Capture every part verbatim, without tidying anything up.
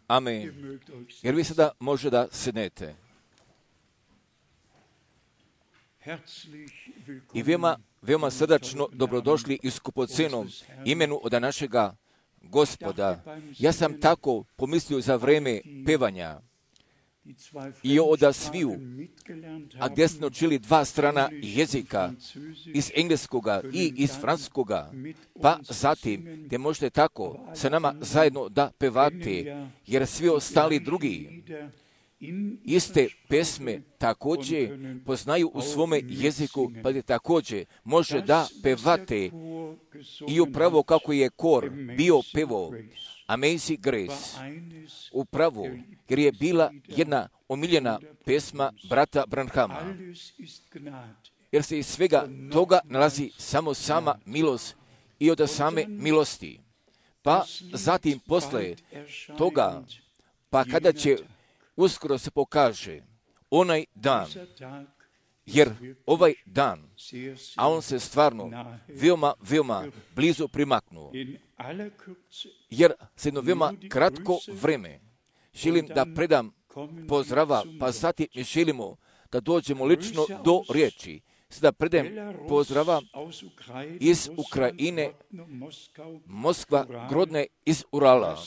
Amen. Jer vi sada može da sednete. I veoma, veoma srdačno dobrodošli i skupocenom imenu od našega Gospoda. Ja sam tako pomislio za vreme pevanja i od sviju, a gdje smo učili dva strana jezika, iz engleskoga i iz francuskoga, pa zatim gdje možete tako sa nama zajedno da pevate, jer svi ostali drugi iste pesme također poznaju u svome jeziku, pa gdje također može da pevate i upravo kako je kor bio pevo Amazing Grace, upravo jer je bila jedna omiljena pesma brata Branhama, jer se iz svega toga nalazi samo sama milost i od same milosti. Pa zatim posle toga, pa kada će uskoro se pokaže onaj dan, jer ovaj dan, a on se stvarno veoma, veoma blizu primaknuo, jer se jedno veoma kratko vreme želim da predam pozdrava, pa zatim mi želimo da dođemo lično do riječi. Sada predam pozdrava iz Ukrajine, Moskva, Grodne, iz Urala,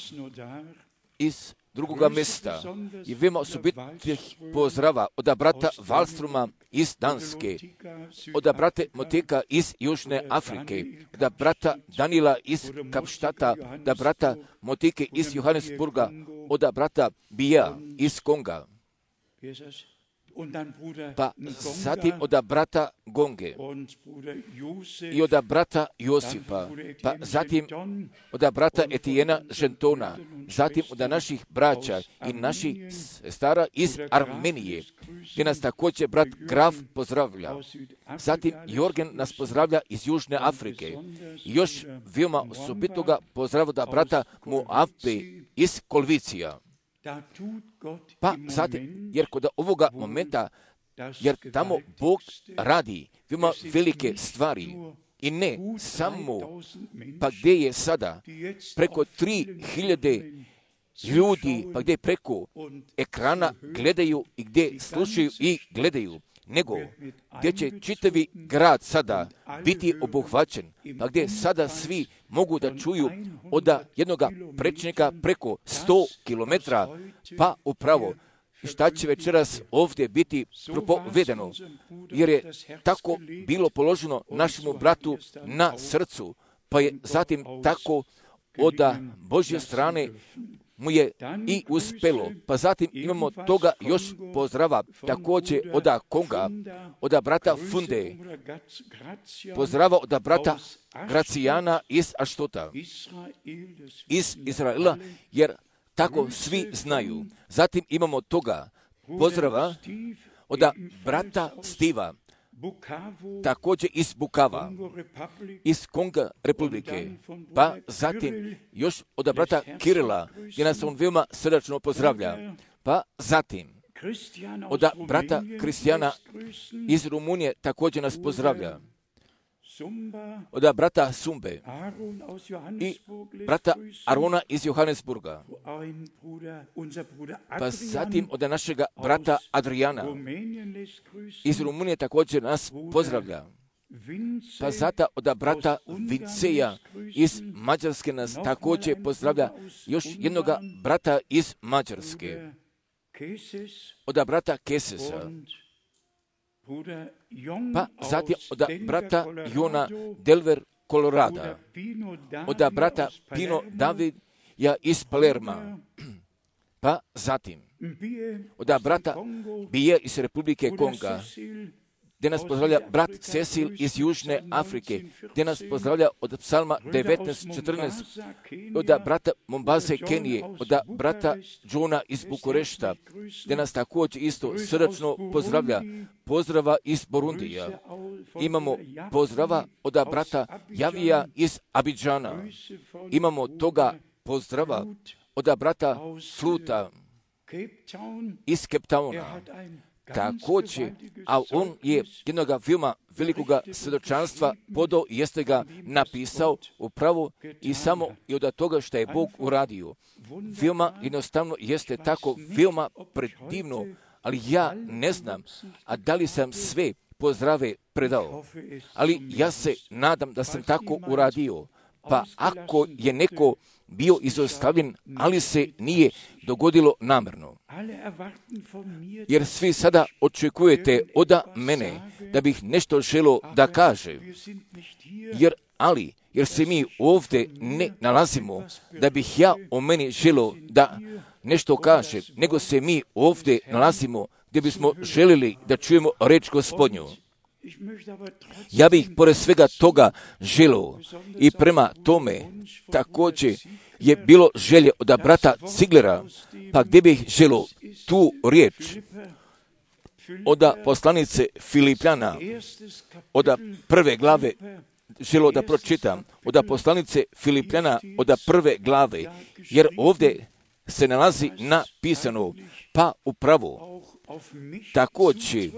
iz drugoga mjesta i veoma osobitih pozdrava od brata Valstruma iz Danske, od brata Moteka iz Južne Afrike, od brata Danila iz Kapštata, od brata Moteke iz Johannesburga, od brata Bija iz Konga, pa zatim od brata Gonge i od brata Josipa, pa zatim od brata Etijena Žentona, zatim od naših braća i naših stara iz Armenije, gdje nas također brat Graf pozdravlja. Zatim Jorgen nas pozdravlja iz Južne Afrike. I još veoma osobitoga pozdrava da brata Moabe iz Kolvicija. Pa zatim, jer kod ovoga momenta, jer tamo Bog radi veoma velike stvari i ne samo, pa gdje je sada preko tri hiljade ljudi, pa gdje preko ekrana gledaju i gdje slušaju i gledaju, nego gdje će čitavi grad sada biti obuhvaćen, pa gdje sada svi mogu da čuju od jednoga prečnika preko sto kilometara, pa upravo šta će večeras ovdje biti propovedeno, jer je tako bilo položeno našemu bratu na srcu, pa je zatim tako od Božje strane mu je i uspelo. Pa zatim imamo toga još pozdrava, također od Konga, od brata Funde, pozdrava od brata Gracijana iz Aštota, iz Izraela, jer tako svi znaju. Zatim imamo toga pozdrava od brata Stiva, također iz Bukava, iz Konga republike, pa zatim još od brata Kirila, gdje nas on veoma srdačno pozdravlja, pa zatim od brata Kristijana iz Rumunije također nas pozdravlja, od brata Sumbe i brata Arona iz Johannesburga, pa zatim od našega brata Adriana iz Rumunije također nas pozdravlja, pa zata od brata Vinceja iz Mađarske nas također pozdravlja, još jednoga brata iz Mađarske, od brata Kesesa, pa zatim od brata Jona Delver Kolorada, od brata Pino David ja iz Palerma, pa zatim od brata Bije iz Republike Konga, gdje nas pozdravlja brat Cecil iz Južne Afrike, gdje nas pozdravlja od psalma devetnaest četrnaest, od brata Mombaze Kenije, od brata Johna iz Bukurešta, gdje nas također isto srdačno pozdravlja, pozdrava iz Burundija. Imamo pozdrava od brata Javija iz Abidžana, imamo toga pozdrava od brata Fluta iz Cape Towna, također, a on je jednog veoma velikoga svjedočanstva podao i jeste ga napisao upravo i samo i od toga što je Bog uradio. Veoma jednostavno jeste tako, veoma predivno, ali ja ne znam, a da li sam sve pozdrave predao, ali ja se nadam da sam tako uradio. Pa ako je neko bio izostavljen, ali se nije dogodilo namjerno. Jer svi sada očekujete od mene da bih nešto želio da kaže. Jer, ali, jer se mi ovdje ne nalazimo da bih ja o meni želio da nešto kaže, nego se mi ovdje nalazimo gdje bismo željeli da čujemo reč Gospodnju. Ja bih pored svega toga želio i prema tome također je bilo želje od brata Ciglera, pa gdje bih želio tu riječ od poslanice Filipljana, od prve glave želio da pročitam, od poslanice Filipljana od prve glave, jer ovdje se nalazi napisano, pa upravo također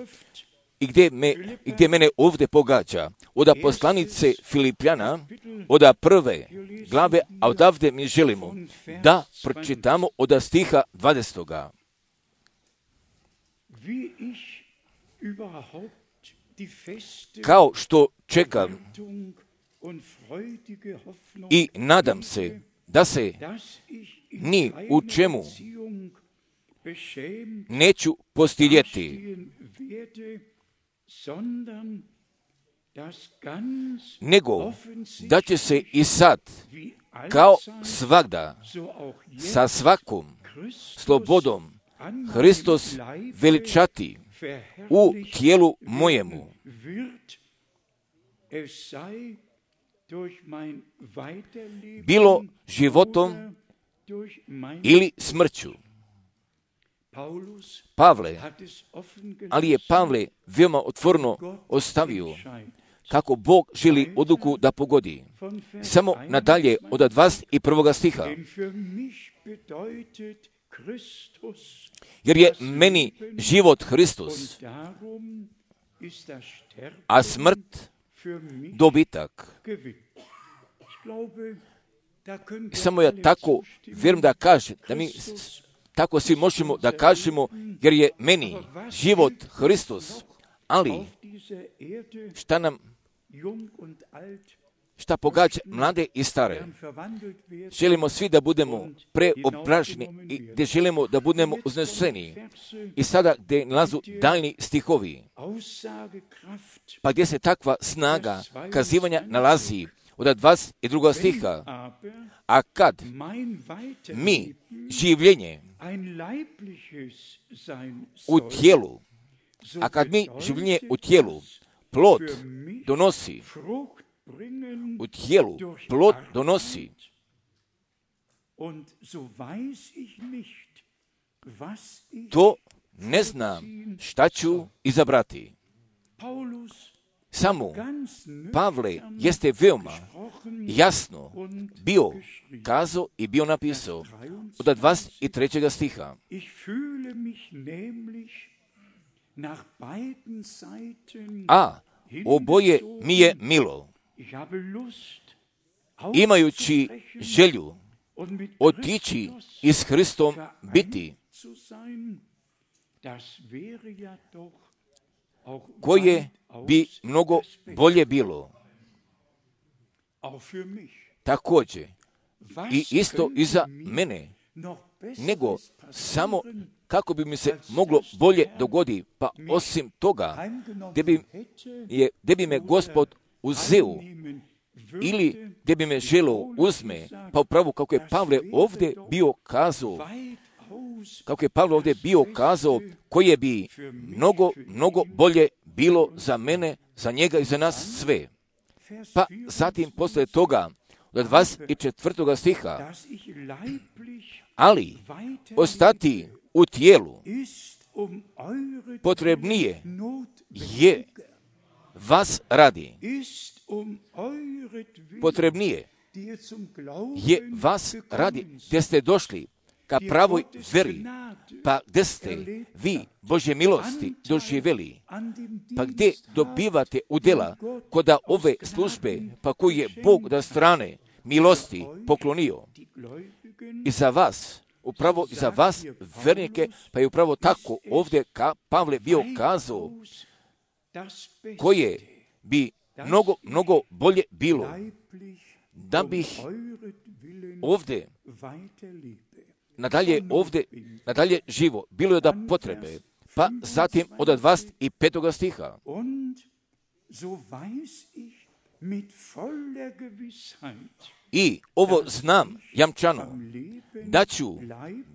i gdje, me, i gdje mene ovdje pogađa, od poslanice Filipljana, od prve glave, a odavde mi želimo da pročitamo od stiha dvadesetoga. Kao što čekam i nadam se da se ni u čemu neću postidjeti, nego da će se i sad, kao svagda, sa svakom slobodom Hristos veličati u tijelu mojemu, bilo životom ili smrću. Pavle, ali je Pavle veoma otvoreno ostavio kako Bog želi odluku da pogodi. Samo nadalje od dvadeset prvog stiha. Jer je meni život Hristos, a smrt dobitak. Samo ja tako vjerujem da kažem, da mi tako svi možemo da kažemo, jer je meni život Hristos, ali šta nam, šta pogađa mlade i stare. Želimo svi da budemo preobraženi i gdje želimo da budemo uzneseni. I sada gdje nalazu daljni stihovi, pa gdje se takva snaga kazivanja nalazi od dvadeset drugog stiha. A kad mi življenje u tijelu, a kad mi življenje u tijelu plod donosi, u tijelu plod donosi, to ne znam šta ću izabrati. Samo Pavle jeste veoma jasno bio kazao i bio napisao od dvadeset trećeg stiha. A oboje mi je milo, imajući želju otići i s Hristom biti, koje bi mnogo bolje bilo. Također, i isto i za mene, nego samo kako bi mi se moglo bolje dogodi, pa osim toga, gdje bi, je, gdje bi me Gospod uzeo, ili gdje bi me želio uzme, pa upravo kako je Pavle ovdje bio kazao, kako je Pavle ovdje bio kazao, koje bi mnogo, mnogo bolje bilo za mene, za njega i za nas sve. Pa zatim poslije toga, od dvadeset četvrtog stiha, ali ostati u tijelu potrebnije je vas radi. Potrebnije je vas radi, gdje ste došli ka pravoj veri, pa gdje ste vi Božje milosti doživjeli, pa gdje dobivate udjela koda ove službe, pa koji je Bog da strane milosti poklonio i za vas, upravo i za vas vernike, pa je upravo tako ovdje ka Pavle bio kazao, koje bi mnogo, mnogo bolje bilo da bih ovdje nadalje ovdje, nadalje živo, bilo je da potrebe, pa zatim od dvadeset petog stiha. I ovo znam jamčano, da ću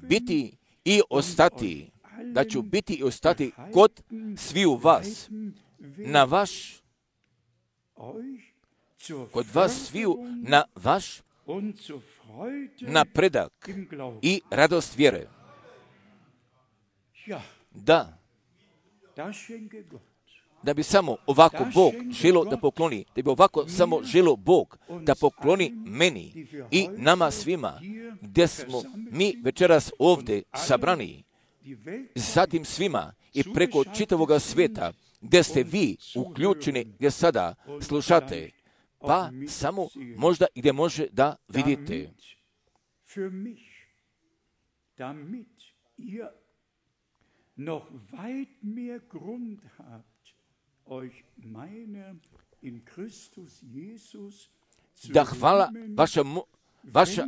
biti i ostati, da ću biti i ostati kod sviju vas, na vaš, kod vas sviju, na vaš napredak i radost vjere. Da, da bi samo ovako Bog želo da pokloni, da bi ovako samo želo Bog da pokloni meni i nama svima, gdje smo mi večeras ovdje sabrani, zatim svima i preko čitavoga svijeta, gdje ste vi uključeni, gdje sada slušate, pa samo možda i gdje može da vidite. Noch weit mehr Grund habt, euch meiner in Christus Jesus zu da hvala vaša, vaša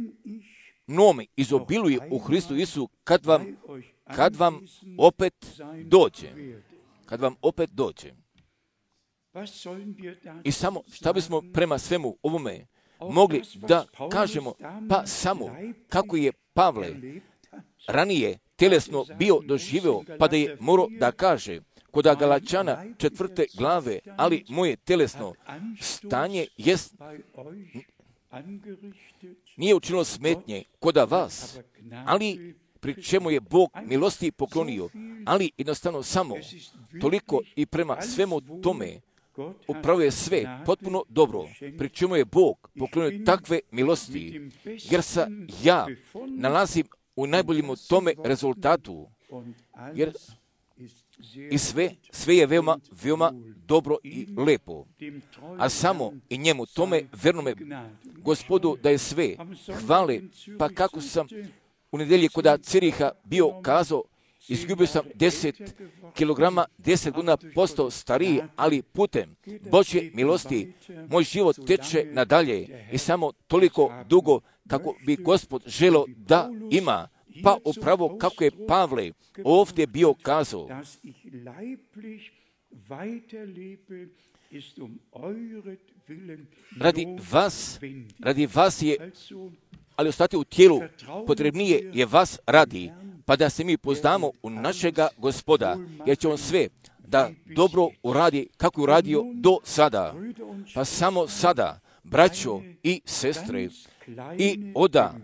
nome izobiluje u Hristu Isu kad vam, kad vam opet dođe. Kad vam opet dođe. I samo šta bismo prema svemu ovome mogli da kažemo, pa samo kako je Pavle ranije tjelesno bio doživio, pa da je morao da kaže kod Galačana četvrte glave, ali moje tjelesno stanje jest, nije učinilo smetnje kod vas, ali pri čemu je Bog milosti poklonio, ali jednostavno samo toliko i prema svemu tome upravo je sve potpuno dobro, pri čemu je Bog poklonio takve milosti, jer se ja nalazim u najboljem u tome rezultatu, jer i sve, sve je veoma, veoma dobro i lepo. A samo i njemu, tome vernome Gospodu da je sve hvale, pa kako sam u nedjelji kod Ciriha bio kazao, izgubio sam deset kilograma, deset godina postao stariji, ali putem Božje milosti moj život teče nadalje i samo toliko dugo kako bi Gospod želio da ima. Pa upravo kako je Pavle ovdje bio kazao, radi vas, radi vas je, ali ostati u tijelu potrebnije je vas radi, pa da se mi poznamo u našega Gospoda, jer će on sve da dobro uradi kako je uradio do sada. Pa samo sada, braćo i sestre, i oda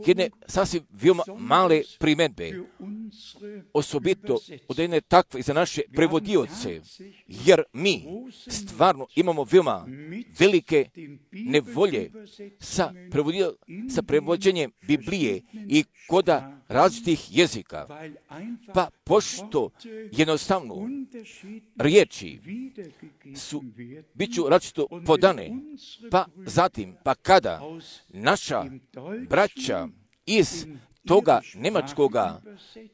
jedne sasvim veoma male primjedbe, osobito od jedne takve za naše prevodioce, jer mi stvarno imamo veoma velike nevolje sa, sa prevođenjem Biblije i koda različitih jezika. Pa pošto jednostavno riječi su, bit ću različito podane, pa zatim, pa kada naša braća iz toga njemačkoga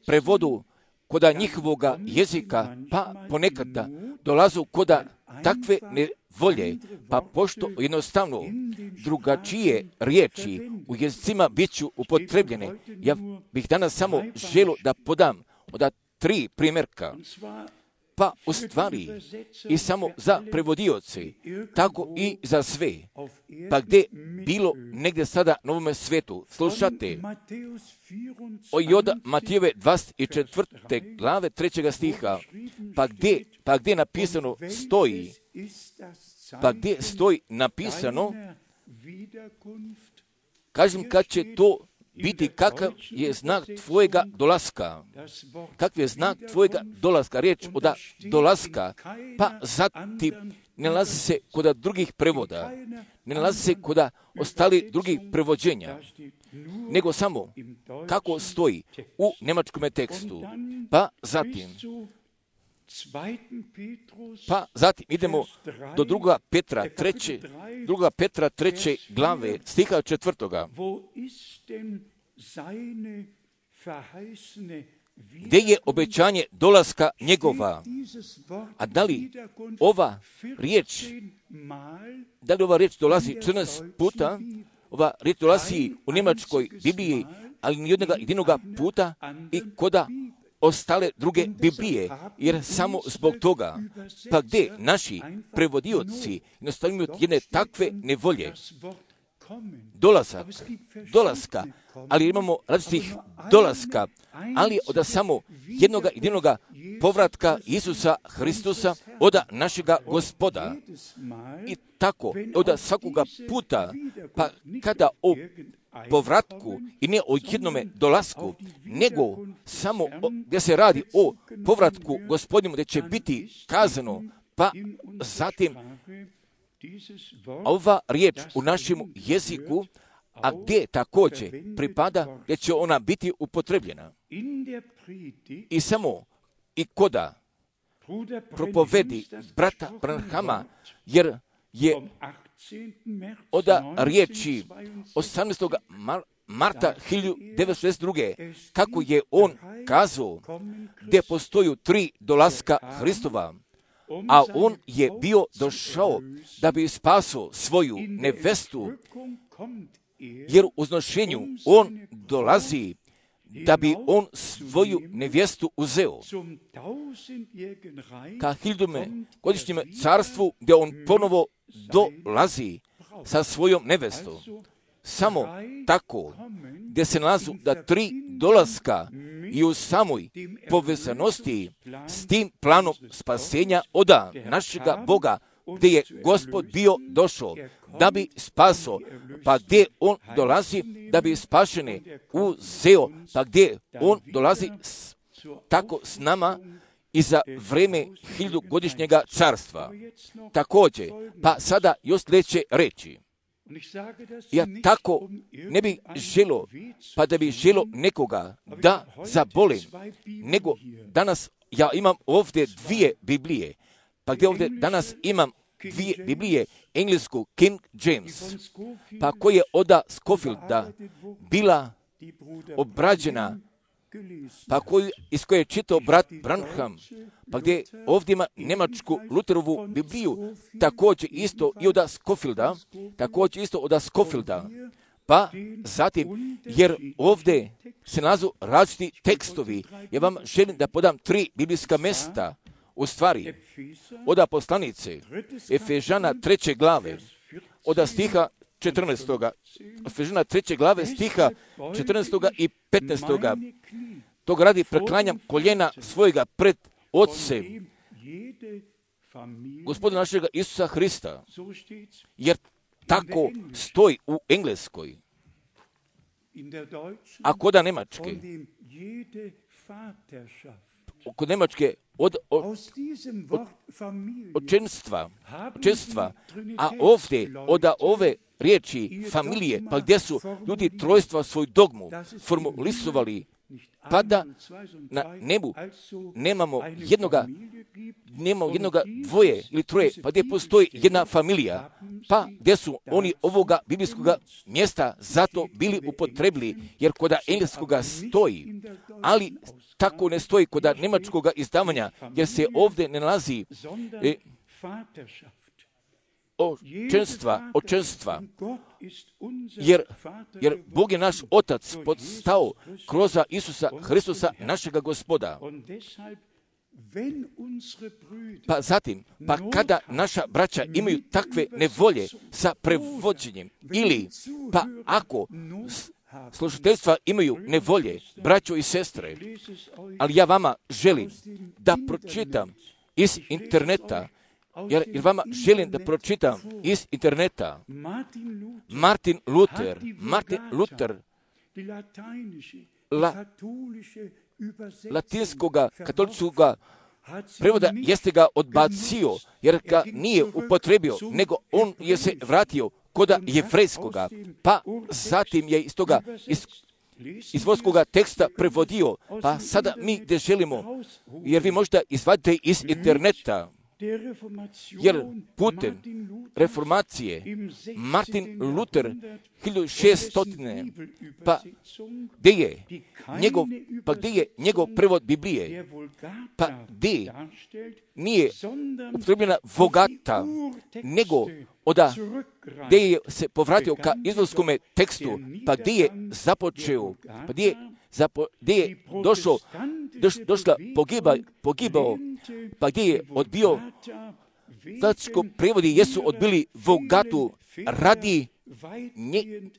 prevodu koda njihovoga jezika, pa ponekada dolazu koda takve nevolje, pa pošto jednostavno drugačije riječi u jezicima bit ću upotrebljene, ja bih danas samo želio da podam od tri primjerka. Pa u stvari i samo za prevodioce, tako i za sve, pa gdje bilo negdje sada na ovome svijetu, slušate od Matijeve dvadeset četvrte glave trećega stiha, pa gdje, pa gdje napisano stoji, pa gdje stoji napisano, kažem kad će to biti, kakav je znak tvojega dolaska. Kakav je znak tvojega dolaska? Riječ od dolaska, pa zatim ne nalazi se kod drugih prevoda, ne nalazi se kod ostali drugih prevođenja. nego samo kako stoji u njemačkom tekstu. Pa zatim, pa zatim idemo do druga Petra treće, druga Petra treće glave, stiha četvrtoga. Gdje je obećanje dolaska njegova? A da li ova riječ, da li ova riječ dolazi četrnaest puta? Ova riječ dolazi u njemačkoj Bibliji, ali nijednoga jedinoga puta i koda ostale druge Biblije, jer samo zbog toga, pa gdje naši prevodioci jednostavno imaju jedne takve nevolje, dolazak, dolaska, ali imamo različitih dolaska, ali od samo jednoga jedinoga povratka Isusa Hristusa od našega Gospoda. I tako, od svakoga puta, pa kada o povratku i ne o jednome dolasku, nego samo o, gdje se radi o povratku Gospodinu, gdje će biti kazano, pa zatim ova riječ u našem jeziku, a gdje također pripada, gdje će ona biti upotrebljena. I samo i koda propovedi brata Branhama, jer je od riječi osamnaestog marta hiljadu devetsto šezdeset druge kako je on kazao, gdje postoju tri dolaska Hristova, a on je bio došao da bi spasao svoju nevestu, jer u uznošenju on dolazi da bi on svoju nevjestu uzeo. Ka hiljadome godišnjem carstvu gdje on ponovo dolazi sa svojom nevestom. Samo tako, gdje se nalazu da tri dolaska i u samoj povezanosti s tim planom spasenja od našega Boga, gdje je Gospod bio došao da bi spaso, pa gdje on dolazi da bi spašene uzeo, pa gdje on dolazi s, tako s nama i za vreme hiljadugodišnjega carstva. Također, pa sada još sljedeće reći. Ja tako ne bi želo, pa da bi želo nekoga da zabolim, nego danas ja imam ovdje dvije Biblije, pa gdje ovdje danas imam dvije Biblije, englesku King James, pa koja je od Scofielda bila obrađena, pa koju, iz koje je čitao brat Branham, pa gdje ovdje ima njemačku Luterovu Bibliju, također isto i od Scofielda, također isto od Scofielda, pa zatim, jer ovdje se nalazu različiti tekstovi, ja vam želim da podam tri biblijska mjesta, u stvari, od poslanice Efežana treće glave, od stiha četrnaestoga. Efežana treće glave, stiha četrnaestoga i petnaestoga. Tog radi preklanjam koljena svojega pred Otcem, Gospodina našega Isusa Hrista, jer tako stoji u engleskoj. A koda Njemačke, kod Njemačke od, od, od očenstva, očenstva, a ovdje od ove riječi familije, pa gdje su ljudi trojstva svoju dogmu formulisovali, pa da na nebu nemamo jednoga, nemamo jednoga dvoje ili troje, pa gdje postoji jedna familija, pa gdje su oni ovoga biblijskoga mjesta zato bili upotrebili, jer kod engleskoga stoji, ali tako ne stoji kod njemačkoga izdavanja, jer se ovdje ne nalazi e, očenstva, očenstva, jer, jer Bog je naš Otac podstao kroz Isusa Hristusa, našega Gospoda. Pa zatim, pa kada naša braća imaju takve nevolje sa prevođenjem, ili pa ako slušateljstva imaju nevolje, braćo i sestre, ali ja vama želim da pročitam iz interneta, Jer, jer vama želim da pročitam iz interneta Martin Luther, Martin Luther, la, latinskoga, katoličkoga prevoda jeste ga odbacio, jer ga nije upotrebio, nego on je se vratio koda jevrejskoga, pa zatim je iz toga, iz, iz vorskoga teksta prevodio, pa sada mi gdje želimo, jer vi možda izvadite iz interneta, jer putem reformacije Martin Luther hiljadu šesto pa gdje je njegov, pa gdje je njegov prevod Biblije, pa gdje nije upotrebljena Vulgata, nego oda gdje je se povratio ka izvorskome tekstu, pa gdje je započeo, pa gdje je, zapo, gdje je došao, doš, došla pogiba, pogibao, pa gdje je odbio, znači prevodi jesu odbili Vulgatu radi nje,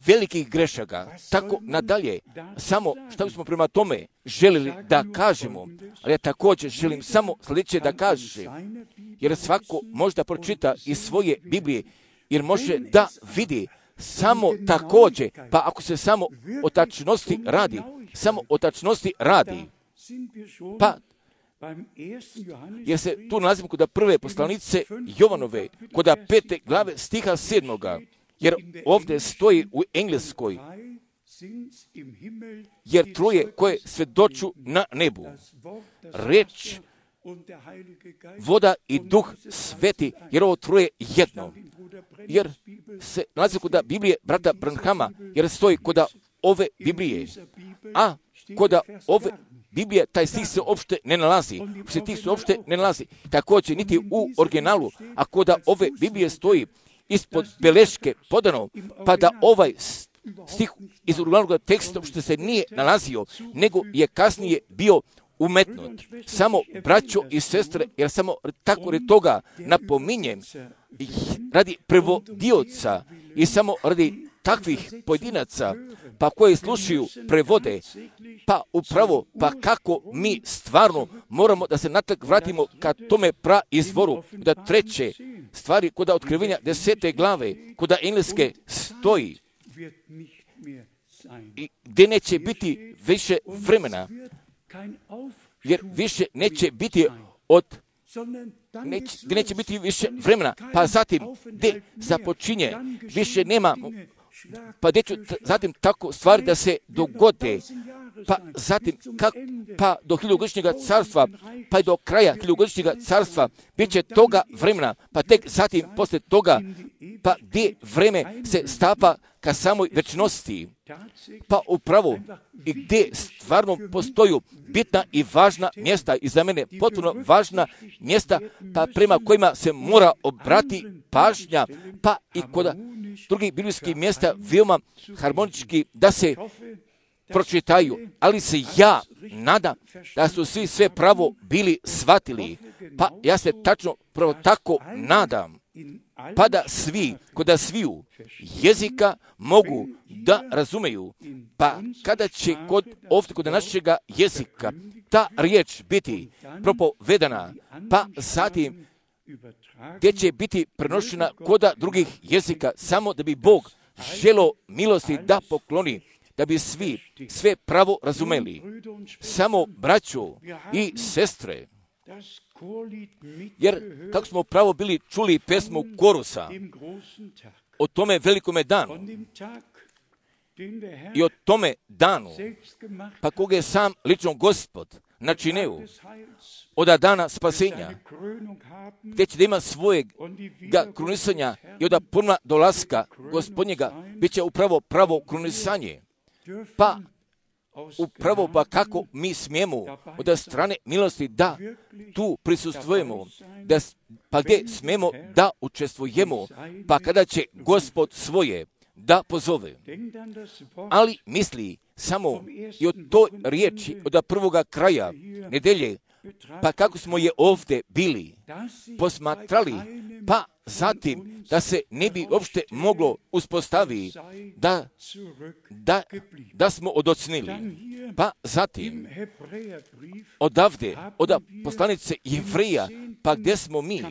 velikih grešaka, tako nadalje. Samo što bismo prema tome želili da kažemo, ali ja također želim samo sljedeće da kažem, jer svako možda pročita iz svoje Biblije, jer može da vidi samo također, pa ako se samo o tačnosti radi, samo o tačnosti radi, pa jer se tu nalazimo kod prve poslanice Jovanove, kod pete glave stiha sedmoga, jer ovdje stoji u engleskoj, jer troje koje svjedoču na nebu, reč, voda i duh sveti, jer ovo troje jedno. Jer se nalazi kod Biblije brata Branhama, jer stoji kod ove Biblije, a kod ove Biblije taj stih se uopšte ne nalazi, se tih se uopšte ne nalazi, također niti u originalu, a kod ove Biblije stoji ispod beleške podano, pa da ovaj stih iz originalnog teksta što se nije nalazio, nego je kasnije bio umetnut. Samo braćo i sestre, jer samo tako radi toga napominjem, radi prevodioca i samo radi takvih pojedinaca, pa koji slušaju prevode, pa upravo, pa kako mi stvarno moramo da se natak vratimo ka tome praizvoru, da treće stvari kod otkrivenja desete glave, kod engleske stoji, i gdje neće biti više vremena, jer više neće biti od Neć, gdje neće biti više vremena, pa zatim gdje započinje, više nema, pa gdje ću t- zatim tako stvari da se dogode, pa zatim kak, pa do hiljugodišnjega carstva, pa i do kraja hiljugodišnjega carstva, bit će toga vremena, pa tek zatim poslije toga, pa gdje vreme se stapa ka samoj večnosti, pa upravo i gdje stvarno postoju bitna i važna mjesta i za mene potpuno važna mjesta, pa prema kojima se mora obrati pažnja, pa i kod drugih biblijskih mjesta veoma harmonički da se pročitaju, ali se ja nadam da su svi sve pravo bili shvatili, pa ja se tačno pravo tako nadam, pa da svi, kod da sviju jezika mogu da razumeju, pa kada će kod ovdje kod našega jezika ta riječ biti propovedana, pa zatim gdje će biti prenošena kod drugih jezika, samo da bi Bog želo milosti da pokloni, da bi svi sve pravo razumeli. Samo braćo i sestre, jer kako smo pravo bili čuli pesmu korusa o tome velikome danu i o tome danu, pa koga je sam lično Gospod načineo od dana spasenja, gdje će da ima svojeg krunisanja i od puna dolaska Gospodnjega, bit će upravo pravo krunisanje. Pa upravo pa kako mi smijemo od strane milosti da tu prisustvujemo, da, pa gdje smijemo da učestvujemo, pa kada će Gospod svoje da pozove. Ali misli samo i od toj riječi, od prvoga kraja nedelje, pa kako smo je ovdje bili posmatrali, pa zatim da se ne bi uopšte moglo uspostaviti da, da, da smo odocnili. Pa zatim odavde, od poslanice Jevreja, pa gdje smo mi,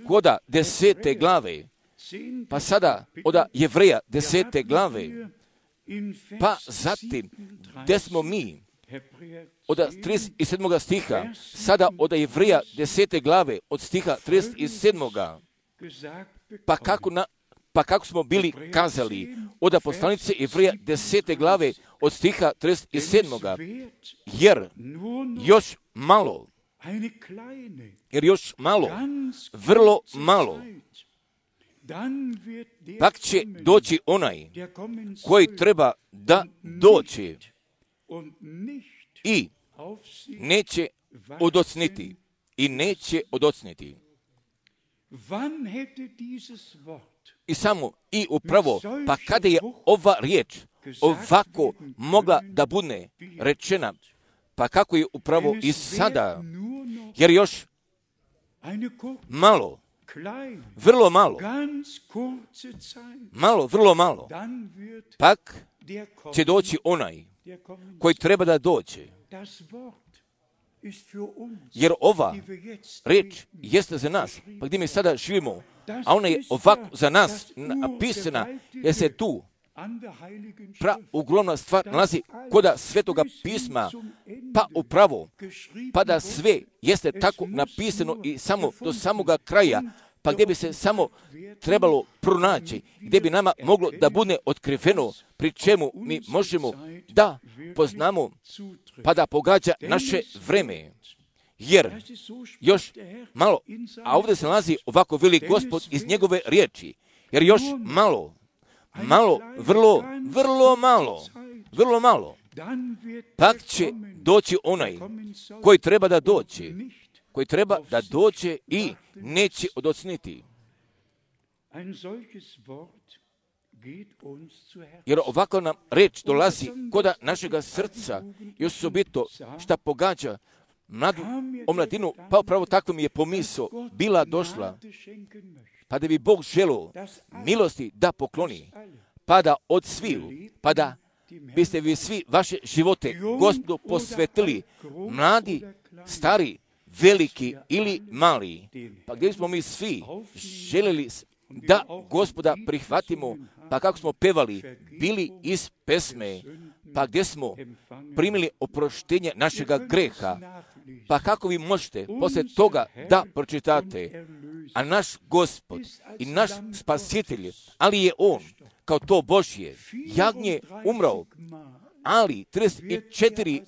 koda desete glave, pa sada od Jevreja desete glave, pa zatim gdje smo mi, od trideset sedmog stiha, sada od Jevreja desete glave, od stiha trideset sedmog. Pa kako na, Pa kako smo bili kazali od poslanice Jevreja desete glave od stiha trideset sedam. Jer još malo, jer još malo, vrlo malo, pak će doći onaj koji treba da doći i neće odocniti, i neće odocniti. I samo, i upravo, pa kada je ova riječ ovako mogla da bude rečena, pa kako je upravo i sada, jer još malo, vrlo malo, malo, vrlo malo, pak će doći onaj koji treba da dođe. Jer ova riječ jeste za nas, pa gdje mi sada živimo, a ona je ovako za nas napisana, jer se tu pra ogromna stvar nalazi koda Svetoga pisma, pa upravo, pa da sve jeste tako napisano i samo do samoga kraja, pa gdje bi se samo trebalo pronaći, gdje bi nama moglo da bude otkriveno, pri čemu mi možemo da poznamo, pa da pogađa naše vreme. Jer još malo, a ovdje se nalazi ovako veli Gospod iz njegove riječi, jer još malo, malo, vrlo, vrlo malo, vrlo malo, pak će doći onaj koji treba da doći, koji treba da dođe i neće odocniti. Jer ovako nam reč dolazi koda našega srca i osobito šta pogađa mladu omladinu, pa upravo tako mi je pomisao bila došla, pa da bi Bog želio milosti da pokloni, pa da od sviju, pa da biste vi svi vaše živote Gospodu posvetili, mladi, stari, veliki ili mali, pa gdje smo mi svi željeli da Gospoda prihvatimo, pa kako smo pevali, bili iz pesme, pa gdje smo primili oproštenje našega greha, pa kako vi možete poslije toga da pročitate, a naš Gospod i naš Spasitelj, ali je On, kao to Božje, jagnje umrao, ali trideset četiri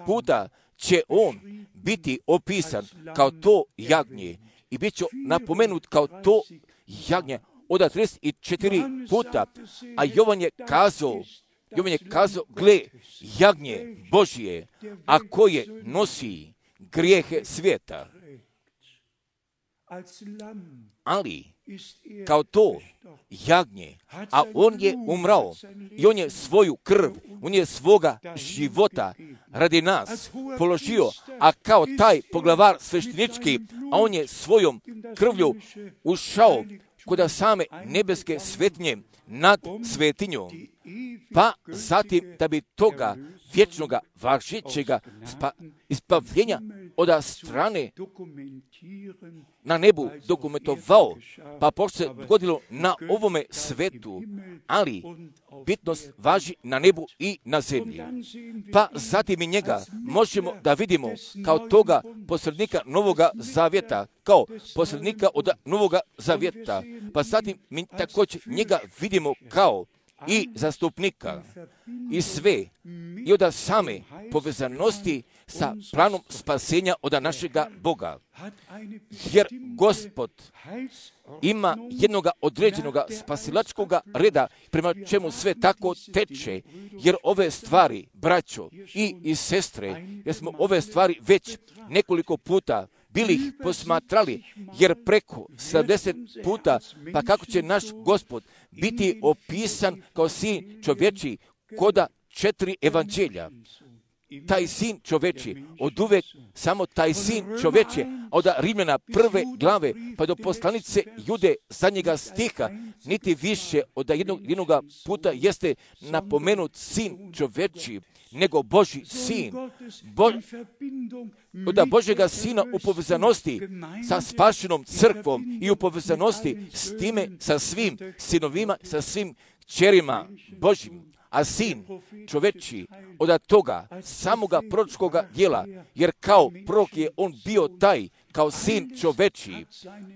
puta će On biti opisan kao to jagnje i bit će napomenut kao to jagnje od trideset četiri puta, a Jovan je kazao, Jovan je kazao, gle, jagnje Božje, a koje nosi grijehe svijeta. Ali, kao to jagnje, a on je umrao i on je svoju krv, on je svoga života radi nas položio, a kao taj poglavar sveštenički, a on je svojom krvlju ušao kod same nebeske svetinje nad svetinjom, pa zatim da bi toga vječnoga važećega spa, ispavljenja od strane na nebu dokumentovao, pa pošto se dogodilo na ovome svetu, ali bitnost važi na nebu i na zemlji. Pa zatim i njega možemo da vidimo kao toga posrednika Novoga Zavjeta, kao posrednika od Novoga Zavjeta, pa zatim mi također njega vidimo kao i zastupnika i sve i od same povezanosti sa planom spasenja od našega Boga. Jer Gospod ima jednoga određenoga spasilačkoga reda prema čemu sve tako teče, jer ove stvari, braćo i, i sestre, jer smo ove stvari već nekoliko puta bili ih posmatrali, jer preko sedamdeset puta, pa kako će naš Gospod biti opisan kao sin čovječi koda četiri evanđelja. Taj sin čovječi, od uvek samo taj sin čovječi, od Rimljana prve glave, pa do poslanice Jude zadnjega stiha, niti više od jednog, jednoga puta jeste napomenut sin čovječi, nego Božji sin, Bo, od Božjega sina u povezanosti sa spašenom crkvom i u povezanosti s time, sa svim sinovima, sa svim kćerima Božjim. A sin čoveči od toga samoga proročkoga djela, jer kao prorok je on bio taj kao sin čovečiji,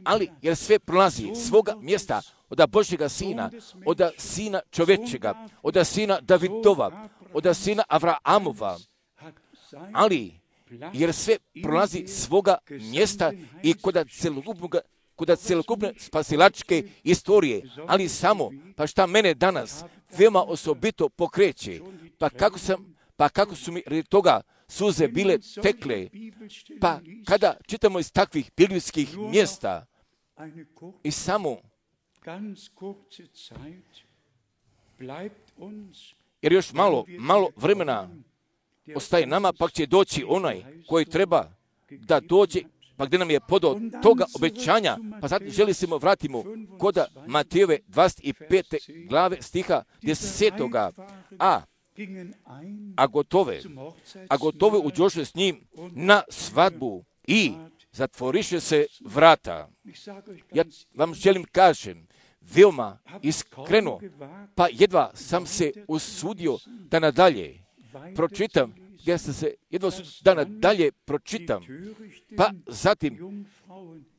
ali jer sve prolazi svoga mjesta od Božjega sina, od sina čovečega, od sina Davidova, od sina Avraamova, ali jer sve prolazi svoga mjesta i kod celokupnog kod celokupne spasilačke istorije, ali samo, pa šta mene danas veoma osobito pokreće, pa kako sam, pa kako su mi radi toga suze bile tekle, pa kada čitamo iz takvih biblijskih mjesta i samo, jer još malo, malo vremena ostaje nama, pa će doći onaj koji treba da dođe, pa gdje nam je podao toga obećanja, pa sad želi se vratimo kod Matejove dvadeset pete glave stiha desetoga. A, a gotove, a gotove uđoše s njim na svadbu i zatvoriše se vrata. Ja vam želim kažem, veoma iskreno, pa jedva sam se usudio da nadalje pročitam, ja sam se jedva da nadalje pročitam, pa zatim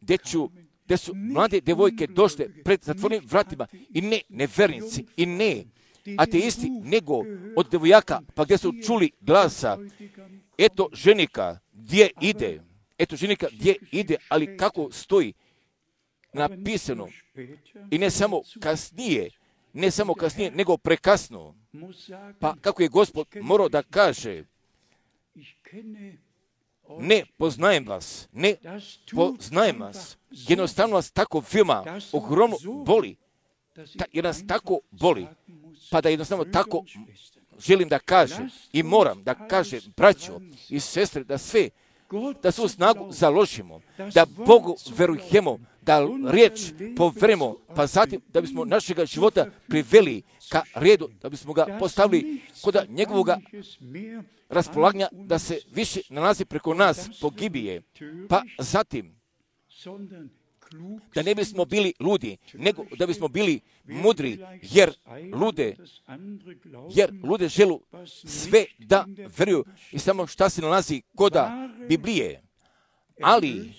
gdje ću gdje su mlade devojke došle pred zatvorenim vratima i ne nevernici i ne ateisti, nego od devojaka, pa gdje su čuli glasa, eto ženika gdje ide, eto ženika gdje ide, ali kako stoji napisano i ne samo kasnije, ne samo kasnije, nego prekasno. Pa kako je Gospod morao da kaže, ne poznajem vas, ne poznajem vas, jednostavno vas tako veoma ogromno boli, ta, jer nas tako boli, pa da jednostavno tako želim da kažem i moram da kažem, braćo i sestre, da sve, da svu snagu založimo, da Bogu verujemo, da riječ poverimo, pa zatim da bismo našega života priveli ka redu, da bismo ga postavili kod njegovog raspolaganja, da se više nalazi preko nas pogibije, pa zatim da ne bismo bili ludi, nego da bismo bili mudri, jer lude, jer lude želu sve da veruju i samo šta se nalazi koda Biblije. Ali,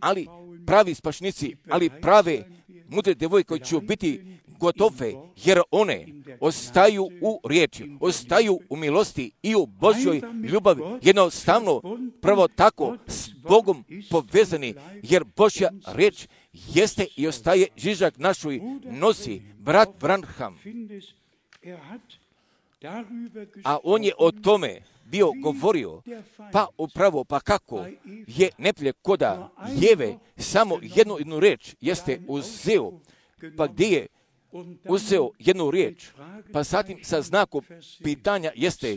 ali pravi spašnici, ali prave mudre devojke koji će biti gotove, jer one ostaju u riječi, ostaju u milosti i u Božjoj ljubavi, jednostavno prvo tako s Bogom povezani, jer Božja riječ jeste i ostaje žižak našoj nosi, brat Branham. A on je o tome bio govorio, pa upravo, pa kako je neprijatelj koda Jeve samo jednu jednu riječ jeste uzeo, pa gdje je uzeo jednu riječ, pa zatim sa znakom pitanja jeste,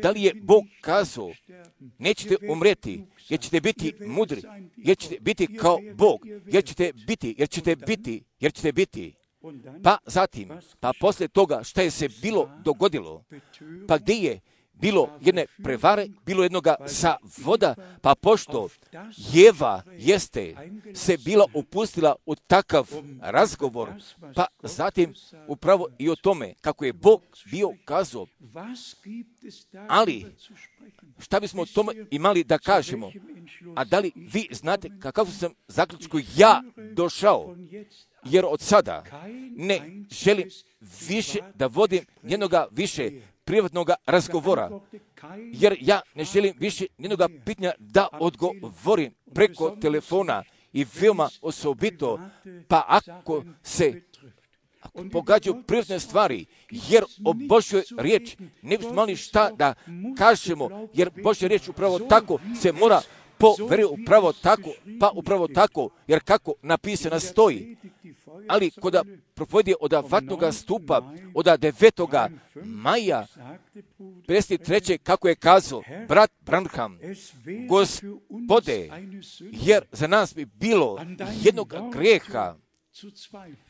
da li je Bog kazao, nećete umreti, jer ćete biti mudri, jer ćete biti kao Bog, jer ćete biti, jer ćete biti, jer ćete biti. Pa zatim, pa poslije toga šta je se bilo dogodilo, pa gdje je bilo jedne prevare, bilo jednoga sa voda, pa pošto Jeva jeste se bila upustila u takav razgovor, pa zatim upravo i o tome kako je Bog bio kazao. Ali, šta bismo o tome imali da kažemo? A da li vi znate kakav sam zaključku ja došao? Jer od sada ne želim više da vodim jednoga više privatnog razgovora, jer ja ne želim više jednoga pitanja da odgovorim preko telefona i veoma osobito, pa ako se ako pogađaju privatne stvari, jer o Božjoj riječ ne bismo imali šta da kažemo, jer Božja riječ upravo tako se mora poveriti, upravo tako, pa upravo tako, jer kako napisano stoji. Ali kod propovjedi od vatnoga stupa, od devetoga maja pedeset treće kako je kazao brat Branham, Gospode, jer za nas bi bilo jednog grijeha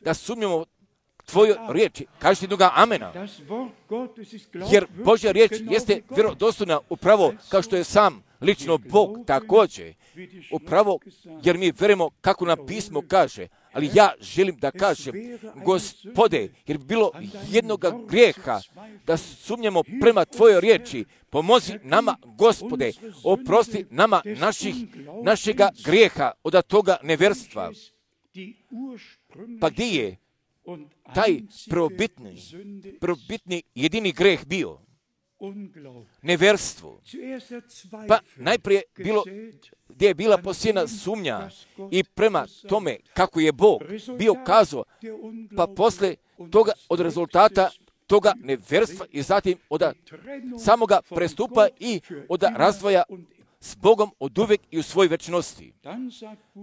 da sumnjamo Tvoju riječi, kažete jednoga amena, jer Božja riječ jeste vjerodostojna upravo kao što je sam lično Bog također, upravo jer mi verujemo kako nam pismo kaže, Ali ja želim da kažem, Gospode, jer bi bilo jednoga grijeha da sumnjamo prema Tvojoj riječi, pomozi nama, Gospode, oprosti nama naših, našega grijeha od toga neverstva. Pa gdje je taj probitni, probitni jedini greh bio? Neverstvo. Pa najprije bilo gdje je bila posijena sumnja i prema tome kako je Bog bio kazao, pa posle toga od rezultata toga neverstva i zatim od samoga prestupa i od razdvoja s Bogom od uvijek i u svojoj večnosti.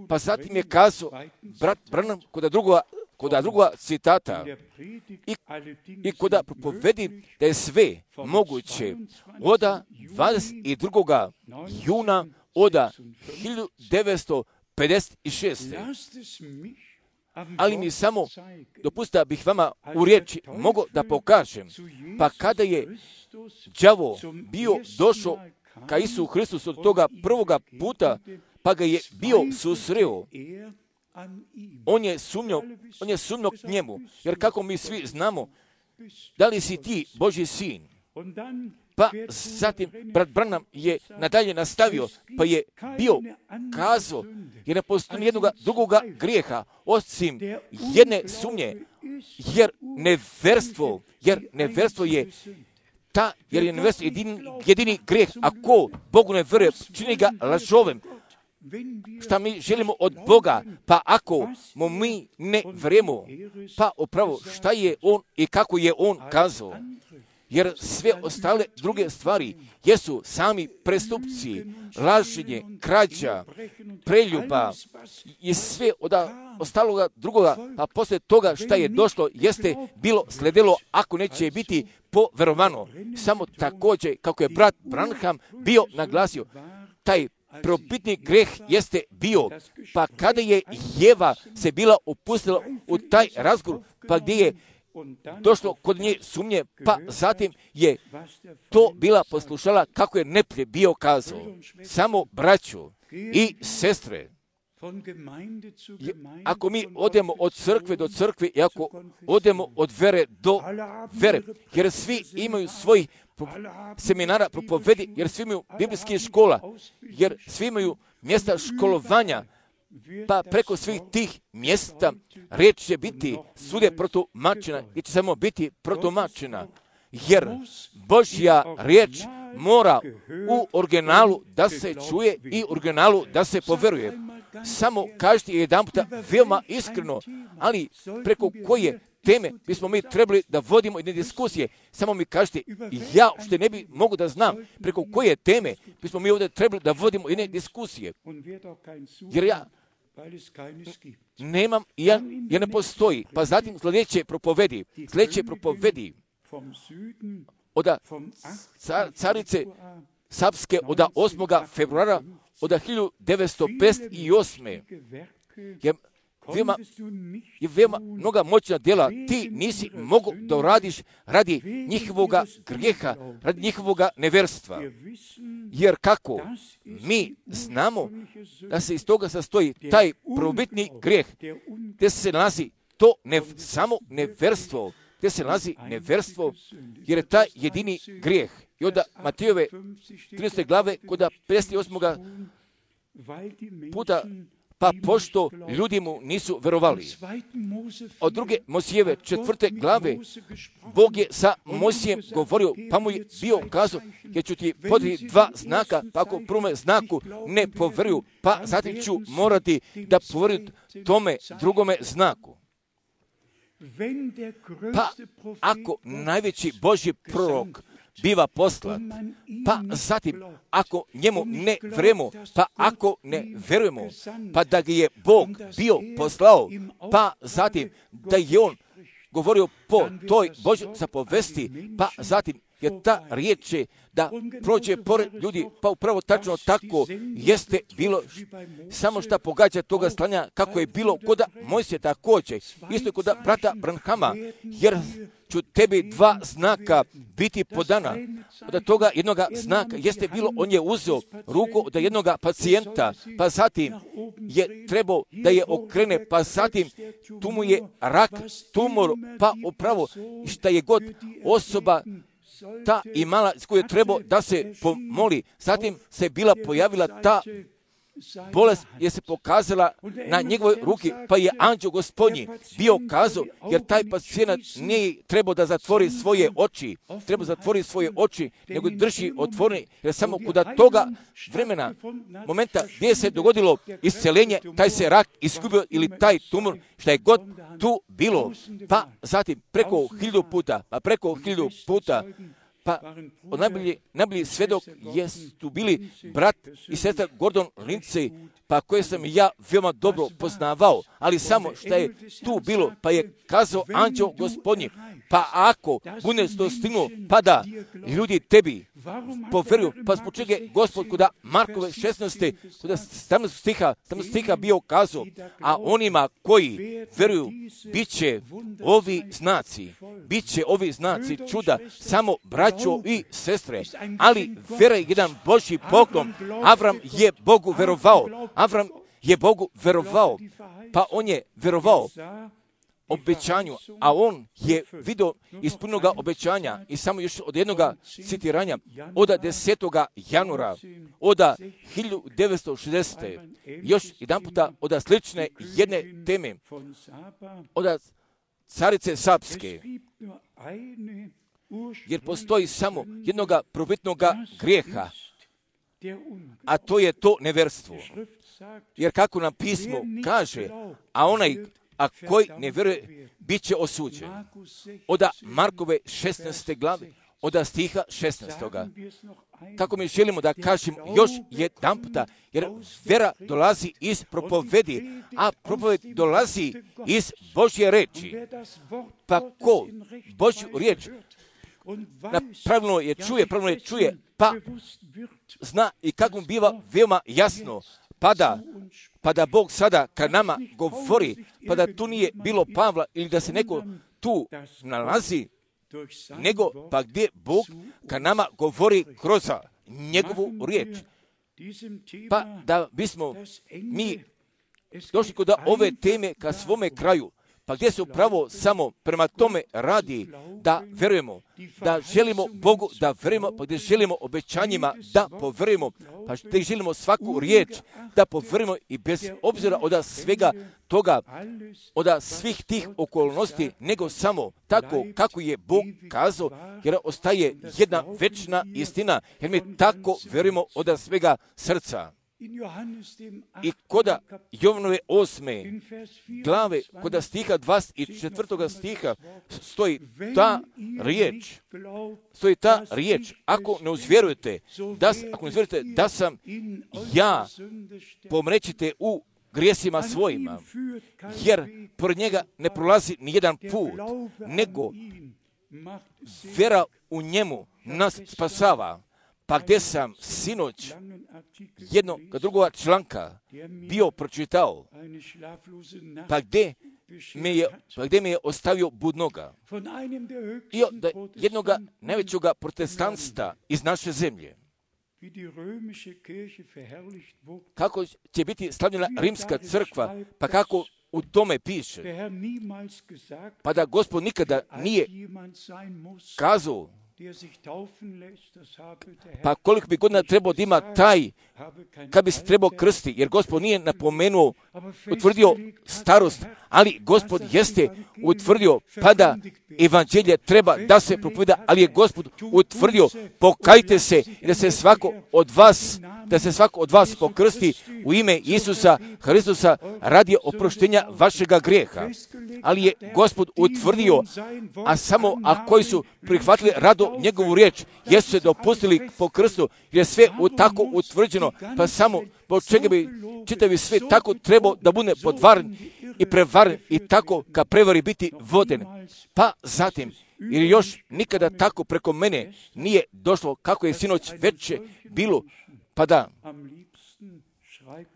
Pa zatim je kazao brat Branham kod drugoga, kod drugoga citata i, i kod propovedi da je sve moguće od dvadeset drugoga juna od hiljadu devetsto pedeset šeste. Ali mi samo dopustite da bih vama u riječi mogu da pokažem, pa kada je đavo bio došao ka Isu Hristusu od toga prvoga puta, pa ga je bio susreo, on je sumnjao, on je sumnjao k njemu, jer kako mi svi znamo, da li si ti Božji sin? Pa zatim brat Branham je nadalje nastavio, pa je bio kazao, jer ne postoji jednog drugoga grijeha, osim jedne sumnje, jer neverstvo, jer neverstvo je ta, jer je neverstvo jedini, jedini grijeh, ako Bogu ne vjeruje, čini ga lažovim. Šta mi želimo od Boga, pa ako mu mi ne vjerujemo, pa upravo šta je On i kako je On kazao. Jer sve ostale druge stvari jesu sami prestupci, laženje, krađa, preljuba i sve od ostaloga drugoga, a poslije toga šta je došlo jeste bilo sledilo ako neće biti poverovano. Samo također kako je brat Branham bio naglasio, taj probitni greh jeste bio, pa kada je Jeva se bila upustila u taj razgovor, pa gdje je došlo kod nje sumnje, pa zatim je to bila poslušala kako je neplje bio kazao. Samo braću i sestre, ako mi odemo od crkve do crkve i ako odemo od vere do vere, jer svi imaju svojih seminara propovedi, jer svi imaju biblijskih škola, jer svi imaju mjesta školovanja, pa preko svih tih mjesta riječ će biti svugdje protumačena i će samo biti protumačena, jer Božja riječ mora u originalu da se čuje i u originalu da se poveruje. Samo kažite jedan puta veoma iskreno, ali preko koje teme bismo mi trebali da vodimo jedne diskusije. Samo mi kažete, ja što ne bi mogu da znam preko koje teme bismo mi ovdje trebali da vodimo jedne diskusije. Jer ja nemam, ja, ja ne postoji. Pa zatim sljedeće propovedi, sljedeće propovedi od car, carice Sapske od osmog februara od hiljadu devetsto pedeset osme. Je veoma, je veoma mnoga moćna djela ti nisi mogu da uradiš radi njihovoga grijeha, radi njihovoga neverstva. Jer kako mi znamo da se iz toga sastoji taj probitni grijeh, gdje se nalazi to ne, samo neverstvo, gdje se nalazi neverstvo, jer je taj jedini grijeh. I onda Matejove trinaeste glave, kod pedeset osmog puta, pa pošto ljudi mu nisu verovali. Od druge Mojsijeve četvrte glave, Bog je sa Mojsijem govorio, pa mu je bio kazao, jer ću ti podati dva znaka, pa ako prvome znaku ne poveruju, pa zatim ću morati da poveruju tome drugome znaku. Pa ako najveći Božji prorok biva poslat, pa zatim ako njemu ne verujemo, pa ako ne verujemo, pa da ga je Bog bio poslao, pa zatim da je on govorio po toj Božjoj zapovesti, pa zatim jer ta riječ će da prođe pored ljudi, pa upravo tačno tako jeste bilo, samo što pogađa toga slanja kako je bilo kod Mojsija također, isto kod brata Branhama, jer ću tebi dva znaka biti podana. Od toga jednoga znaka jeste bilo, on je uzeo ruku od jednoga pacijenta, pa zatim je trebao da je okrene, pa zatim tu mu je rak, tumor, pa upravo šta je god osoba ta imala s koju je trebao da se pomoli. Zatim se bila pojavila ta bolest je se pokazala na njegovoj ruki, pa je anđeo Gospodnji bio kazao, jer taj pacijent nije trebao da zatvori svoje oči, treba zatvori svoje oči, nego drži otvorene, jer samo kod toga vremena, momenta gdje se dogodilo isceljenje, taj se rak izgubio ili taj tumor, šta je god tu bilo, pa zatim preko hiljadu puta, pa preko hiljadu puta, pa od najbolji, najbolji svedok jesu bili brat i sestra Gordon Lindsay, pa koje sam ja veoma dobro poznavao, ali samo što je tu bilo, pa je kazao anđeo Gospodnji, pa ako budeš to stignuo, pa da ljudi tebi poveruju, pa zbog čega je Gospod kuda Markove šesnaeste, kuda sedamnaestog stiha, sedamnaestog stiha bio kazao, a onima koji veruju, bit će ovi znaci, bit će ovi znaci čuda, samo braćo i sestre, ali vera je jedan Božji poklon. Avram je Bogu verovao, Avram je Bogu verovao, pa on je verovao obećanju, a on je vidio ispunjenog obećanja i samo još od jednoga citiranja od desetoga januara od hiljadu devetsto šezdesete. Još jedan puta od slične jedne teme od carice Sapske, jer postoji samo jednoga prvobitnoga grijeha, a to je to neverstvo. Jer kako nam pismo kaže, a onaj a koji ne vjeruje, bit će osuđen. Od Markove šesnaeste glave, od stiha šesnaestoga. Kako mi želimo da kažem još jedan puta, jer vera dolazi iz propovedi, a propoved dolazi iz Božje reči. Pa ko Božju riječ pravilno je čuje, pravilno je čuje, pa zna i kako mu biva veoma jasno, pa da, pa da Bog sada kad nama govori, pa da tu nije bilo Pavla ili da se neko tu nalazi, nego pa gdje Bog kad nama govori kroz njegovu riječ. Pa da bismo mi došli kod ove teme ka svome kraju, pa gdje se upravo samo prema tome radi da verujemo, da želimo Bogu da verujemo, pa gdje želimo obećanjima da poverujemo, pa gdje želimo svaku riječ da poverujemo i bez obzira od svega toga, od svih tih okolnosti, nego samo tako kako je Bog kazao, jer ostaje jedna večna istina, jer mi tako verujemo od svega srca. I koda Jovanove osme glave, koda stiha dvadeset četvrtoga stiha stoji ta riječ, stoji ta riječ, ako ne uzvjerujete, da, ako ne uzvjerujete da sam ja, pomrećite u grijesima svojima, jer pored njega ne prolazi ni jedan put, nego vera u njemu nas spasava. Pa gdje sam sinoć jednog drugoga članka bio pročitao, pa gdje me je, pa gdje me je ostavio budnoga. I od jednoga najvećega protestantstva iz naše zemlje. Kako će biti slavljena rimska crkva, pa kako u tome piše, pa da Gospod nikada nije kazao, pa koliko bi godina trebao da ima taj, kad bi se trebao krsti, jer Gospod nije napomenuo, utvrdio starost, ali Gospod jeste utvrdio, pa da evanđelje treba da se propoveda, ali je Gospod utvrdio, pokajte se i da se svako od vas, da se svako od vas pokrsti u ime Isusa Hristusa radi oproštenja vašega grijeha. Ali je Gospod utvrdio, a samo a koji su prihvatili rado njegovu riječ, jesu se dopustili po krstu, jer je sve u tako utvrđeno, pa samo po čega bi čitavi sve tako trebao da bude podvaren i prevaren i tako ka prevari biti voden. Pa zatim, jer još nikada tako preko mene nije došlo kako je sinoć veče bilo, pa da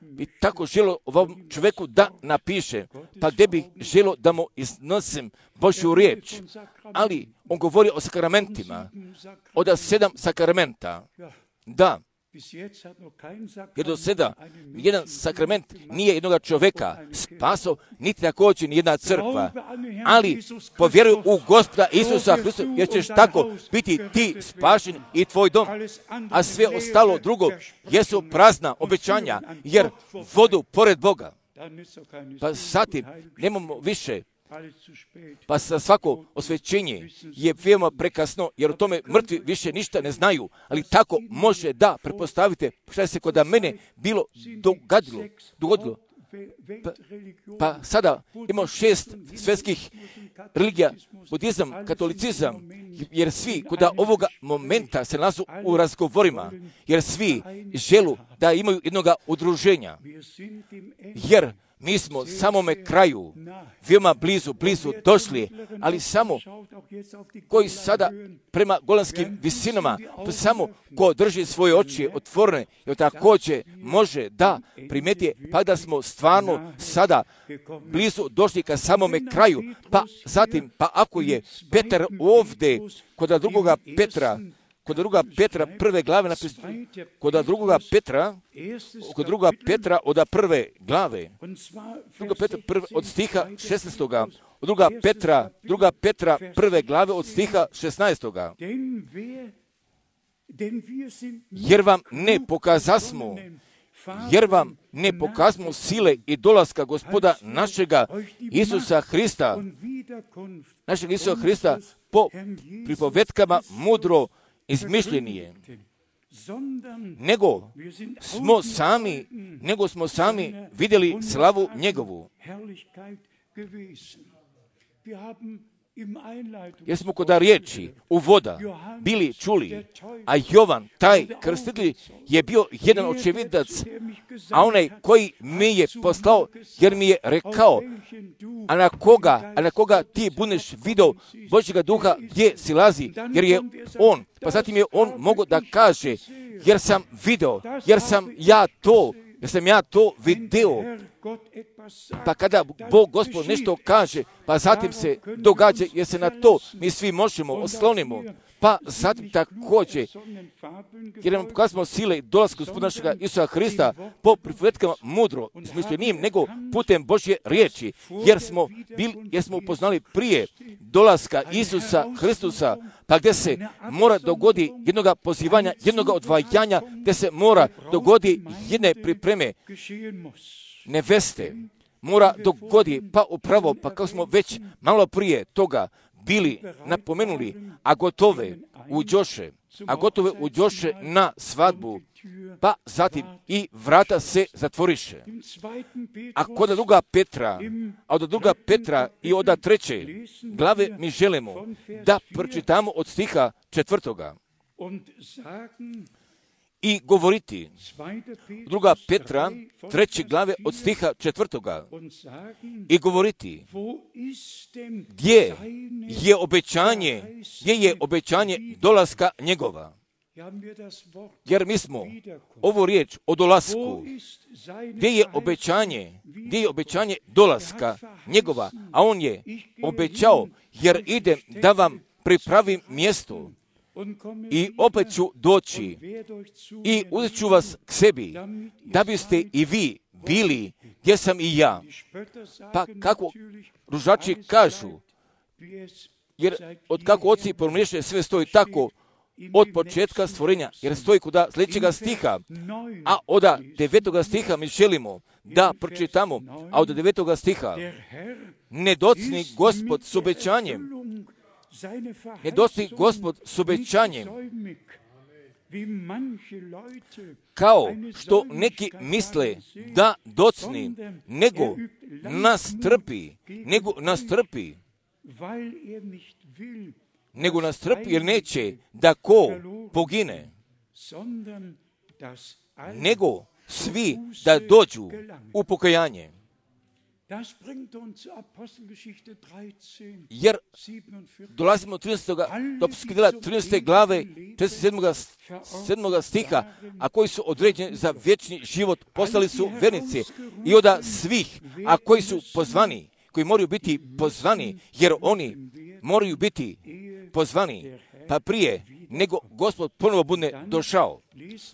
bi tako želo ovom čovjeku da napiše, pa gdje bi želo da mu iznosim Božju riječ. Ali on govori o sakramentima, od sedam sakramenta. Da, jer do sada jedan sakrament nije jednoga čovjeka spaso, niti također ni jedna crkva. Ali povjeruj u Gospoda Isusa Hrista, jer ćeš tako biti ti spašen i tvoj dom. A sve ostalo drugo jesu prazna obećanja, jer vodu pored Boga. Pa zatim nemamo više. Pa sa svako osvećenje je veoma prekasno, jer o tome mrtvi više ništa ne znaju, ali tako može da pretpostavite šta se kod mene bilo dogadilo, dogodilo. Pa, pa sada imamo šest svjetskih religija, budizam, katolicizam, jer svi kod ovoga momenta se nalazu u razgovorima, jer svi želu da imaju jednoga udruženja, jer mi smo samome kraju, veoma blizu, blizu došli, ali samo koji sada prema golanskim visinama, to samo ko drži svoje oči otvorene, jer također može da primeti, pa da smo stvarno sada blizu došli ka samome kraju. Pa zatim, pa ako je Petar ovdje, kod drugoga Petra, kod druga Petra prve glave napisano, kod drugoga Petra, kod druga Petra od prve glave, druga Petra prve, od stiha šesnaestoga, druga Petra, druga Petra prve glave od stiha šesnaestoga. Jer vam ne pokazasmo, jer vam ne pokazmo sile i dolaska Gospoda našega Isusa Hrista, našeg Isusa Hrista po pripovetkama mudro izmišljenije, nego smo sami, nego smo sami vidjeli slavu njegovu. Jer smo kod riječi uvoda bili čuli, a Jovan, taj krstitelj, je bio jedan očevidac, a onaj koji mi je poslao, jer mi je rekao, a na koga, a na koga ti budeš video Božjega duha gdje silazi, jer je on, pa zatim je on mogao da kaže, jer sam video, jer sam ja to, jer sam ja to video. Pa kada Bog Gospod nešto kaže, pa zatim se događa, jer se na to mi svi možemo oslonimo. Pa zatim također, jer nam pokazamo sile i dolazku Gospoda našega Isusa Hrista po pripovetkama mudro izmišljenijim, nego putem Božje riječi, jer smo, bili, jer smo upoznali prije dolaska Isusa Hristusa, pa gdje se mora dogodi jednoga pozivanja, jednoga odvajanja, gdje se mora dogodi jedne pripreme neveste, mora dogodi, pa upravo, pa kako smo već malo prije toga bili napomenuli, a gotove uđoše, a gotove uđoše na svadbu, pa zatim i vrata se zatvoriše. A kod druga Petra, a od druga Petra i od treće glave mi želimo da pročitamo od stiha četvrtoga. I govoriti, druga Petra, treće glave od stiha četvrtoga, i govoriti, gdje je obećanje, gdje je obećanje dolaska njegova. Jer mi smo ovu riječ o dolasku, gdje je obećanje, gdje je obećanje dolaska njegova, a on je obećao, jer idem da vam pripravim mjesto. I opet ću doći i uzet ću vas k sebi, da biste i vi bili gdje sam i ja. Pa kako ružači kažu, jer od kako oci promišljaju, sve stoji tako od početka stvorenja, jer stoji kuda sljedećega stiha, a od devetoga stiha mi želimo da pročitamo, a od devetoga stiha, ne docni Gospod s obećanjem, ne dosti Gospod s obećanjem, kao što neki misle da docni, nego nas trpi, nego nas trpi, nego nas trpi jer neće da ko pogine, nego svi da dođu u pokajanje. Jer dolazimo do trinaestog do djela trinaeste glave četrdeset sedmog stiha, a koji su određeni za vječni život, postali su vernici i od svih, a koji su pozvani, koji moraju biti pozvani, jer oni moraju biti pozvani, pa prije nego Gospod ponovo bude došao.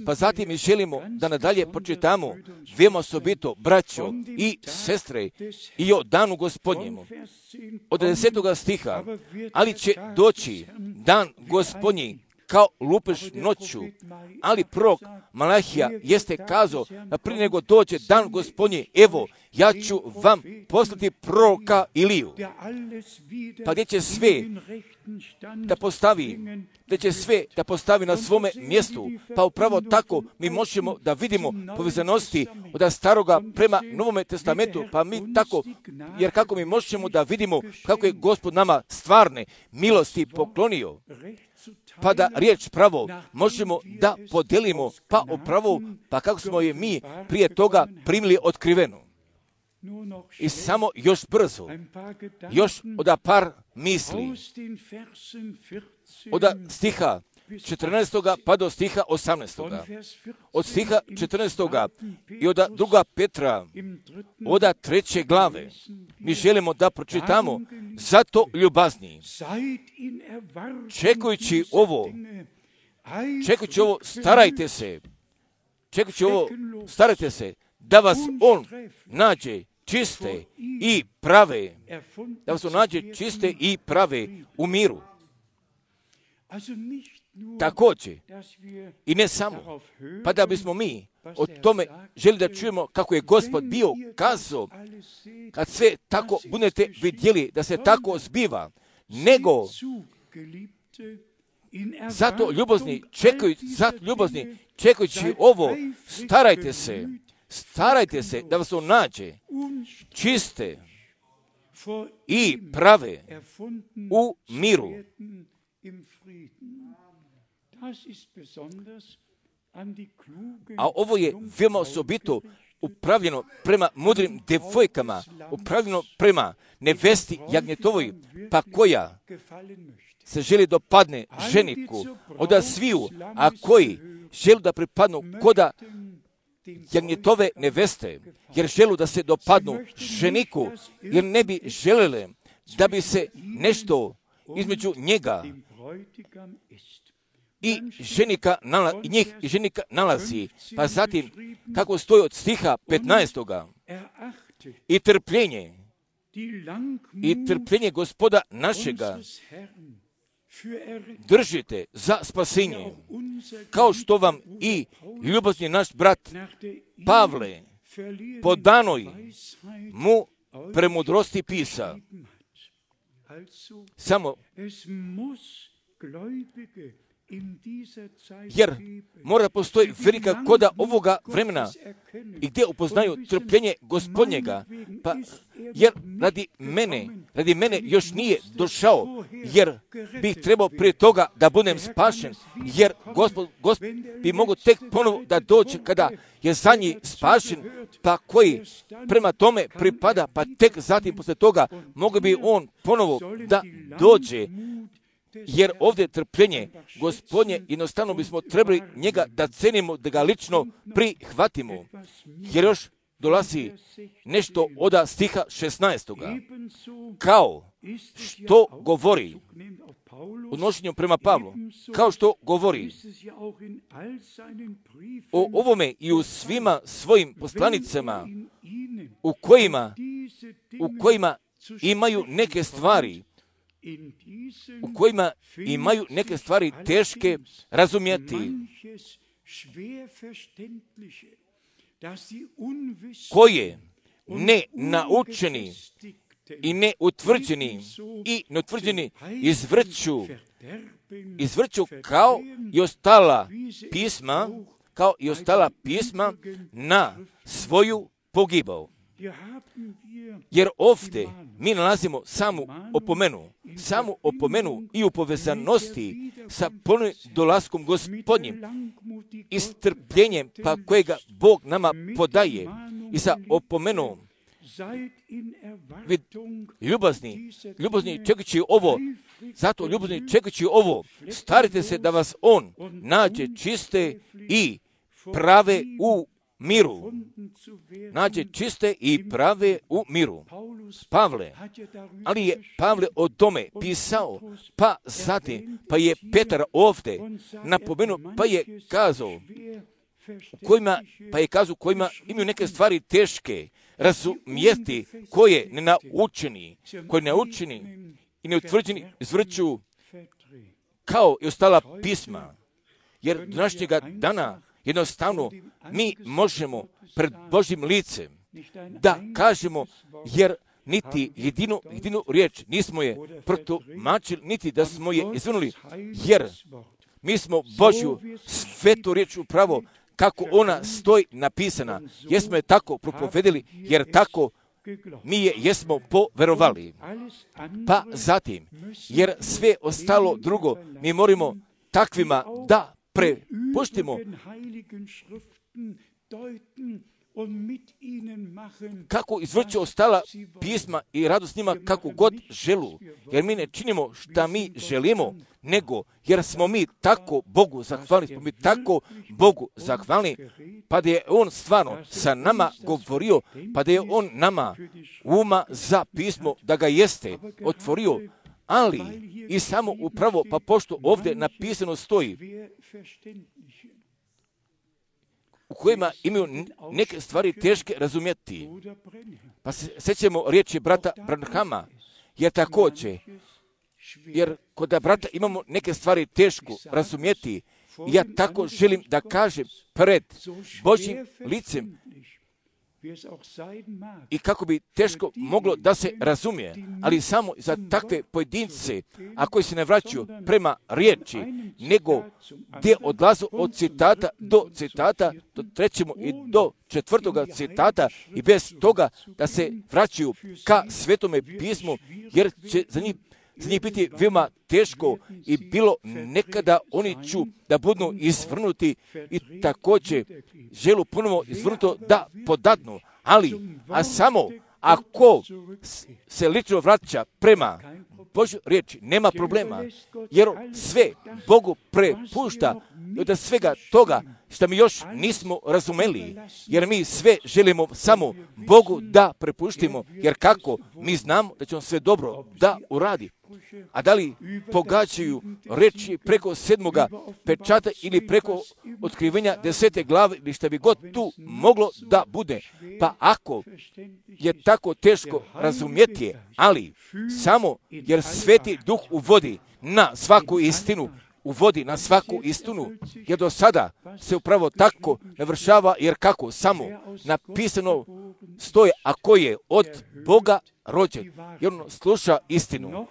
Pa zatim mi želimo da nadalje pročitamo veoma osobito, braćo i sestre, i o danu Gospodnjemu. Od desetog stiha, ali će doći dan Gospodnji kao lupež noću, ali prorok Malahija jeste kazao da prije nego dođe dan Gospodnji, evo, ja ću vam poslati proroka Iliju, pa gdje će sve da postavi, gdje će sve da postavi na svome mjestu, pa upravo tako mi možemo da vidimo povezanosti od staroga prema Novome testamentu, pa mi tako, jer kako mi možemo da vidimo kako je Gospod nama stvarne milosti poklonio, pa da riječ pravo možemo da podelimo, pa upravo, pa kako smo je mi prije toga primili otkrivenu. I samo još brzo, još od par misli, od stiha četrnaestog pa do stiha osamnaestog. Od stiha četrnaestog i od druga Petra, od treće glave, mi želimo da pročitamo, zato ljubazni, čekajući ovo, čekajući ovo, starajte se, čekajući ovo, starajte se, da vas on nađe čiste i prave, da vas on nađe čiste i prave u miru. Također, i ne samo, pa da bismo mi o tome želi da čujemo kako je Gospod bio kazao, kad sve tako budete vidjeli da se tako zbiva, nego zato ljubazni, čekajući, zato ljubazni, čekajući ovo, starajte se, starajte se da vas on nađe čiste i prave u miru. A ovo je veoma osobito upravljeno prema mudrim devojkama, upravljeno prema nevesti jagnjetovoj, pa koja se želi dopadne ženiku od sviju, a koji želi da pripadnu koda jagnjetove neveste, jer želu da se dopadnu ženiku, jer ne bi želele da bi se nešto između njega i ženika nala, i njih i ženika nalazi. Pa zatim, kako stoji od stiha petnaestog. I trpljenje, i trpljenje Gospoda našega držite za spasenje, kao što vam i ljubazni naš brat Pavle po danoj mu premudrosti pisa. Samo jer mora postoji velika koda ovoga vremena i gdje upoznaju trpljenje Gospodnjega, pa jer radi mene, radi mene još nije došao, jer bih trebao prije toga da budem spašen, jer Gospod, Gospod bi mogao tek ponovo da dođe kada je za njih spašen, pa koji prema tome pripada, pa tek zatim posle toga mogu bi on ponovo da dođe. Jer ovdje trpljenje Gospodnje, jednostavno bismo trebali njega da cenimo, da ga lično prihvatimo. Jer još dolazi nešto od stiha šesnaestog. Kao što govori, odnošenjem prema Pavlu, kao što govori o ovome i u svima svojim poslanicama, u kojima, u kojima imaju neke stvari, u kojima imaju neke stvari teške razumjeti, koje ne naučeni i ne utvrđeni i neutvrđeni izvrću, izvrću kao i ostala pisma, kao i ostala pisma na svoju pogibao. Jer ovdje mi nalazimo samu opomenu, samu opomenu i u povezanosti sa ponovnim dolaskom Gospodnjim i strpljenjem pa kojega Bog nama podaje i sa opomenom vi ljubazni, ljubazni čekajući ovo, zato ljubazni čekajući ovo, starite se da vas on nađe čiste i prave u miru. Nađe čiste i prave u miru. Pavle, ali je Pavle o tome pisao, pa zatim, pa je Petar ovdje napomenuo, pa je kazao, kojima, pa je kazao kojima imaju neke stvari teške razumjeti, koje ne naučeni, koje ne naučeni i neutvrđeni izvrću kao i ostala pisma. Jer do današnjega dana jednostavno mi možemo pred Božjim licem da kažemo, jer niti jedinu, jedinu riječ nismo je protumačili, niti da smo je izvrnuli, jer mi smo Božju svetu riječ upravo kako ona stoji napisana, jesmo je tako propovedili, jer tako mi je jesmo poverovali. Pa zatim, jer sve ostalo drugo mi moramo takvima da prepuštimo kako izvrću ostala pisma i radu s njima kako god želu, jer mi ne činimo šta mi želimo, nego jer smo mi tako Bogu zahvalni, smo mi tako Bogu zahvalni, pa da je on stvarno sa nama govorio, pa da je on nama uma za pismo da ga jeste otvorio, ali i samo upravo, pa pošto ovdje napisano stoji, u kojima imaju neke stvari teške razumjeti. Pa se sjećamo riječi brata Branhama, jer također, jer kod brata imamo neke stvari teško razumjeti, ja tako želim da kažem pred Božjim licem, i kako bi teško moglo da se razumije, ali samo za takve pojedince, a koji se ne vraćaju prema riječi, nego gdje odlazu od citata do citata, do trećemo i do četvrtoga citata, i bez toga da se vraćaju ka Svetome pismu, jer će za njih za njih biti veoma teško i bilo nekada oni ću da budu izvrnuti i također želu ponovo izvrnuto da podadnu, ali a samo ako se lično vraća prema Božju riječi, nema problema, jer sve Bogu prepušta od svega toga što mi još nismo razumeli, jer mi sve želimo samo Bogu da prepuštimo, jer kako mi znamo da će on sve dobro da uradi. A da li pogađaju reči preko sedmoga pečata ili preko otkrivenja desete glave ili što bi god tu moglo da bude. Pa ako je tako teško razumjeti, ali samo jer Sveti Duh uvodi na svaku istinu, uvodi na svaku istinu, jer do sada se upravo tako navršava, jer kako samo napisano stoje, ako je od Boga rođen, jer on sluša istinu.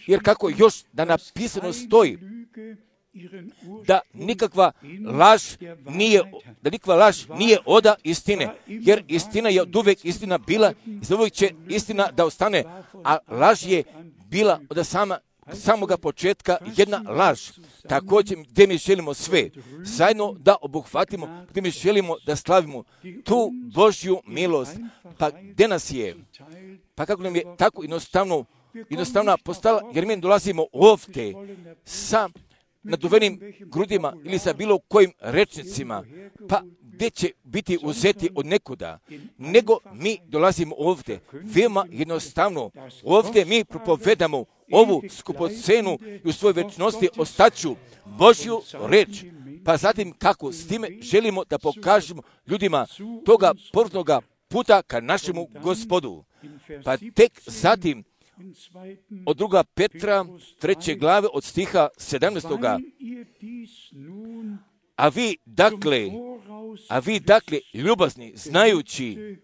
Jer kako još da napisano stoji, da nikakva laž nije, da nikakva laž nije oda istine, jer istina je od uvijek istina bila i za uvijek će istina da ostane, a laž je bila od sama samoga početka jedna laž. Također gdje mi želimo sve zajedno da obuhvatimo, gdje mi želimo da slavimo tu Božju milost, pa gdje nas je, pa kako nam je tako jednostavno, jednostavno postala, jer mi dolazimo ovdje sa naduvenim grudima ili sa bilo kojim rečnicima, pa gdje će biti uzeti od nekuda, nego mi dolazimo ovdje, veoma jednostavno, ovdje mi propovedamo ovu skupocenu i u svojoj večnosti ostaću Božju reč, pa zatim kako s time želimo da pokažemo ljudima toga povrtnoga puta ka našemu Gospodu. Pa tek zatim od druga Petra treće glave od stiha sedamnaestoga. A vi dakle, a vi dakle ljubazni, znajući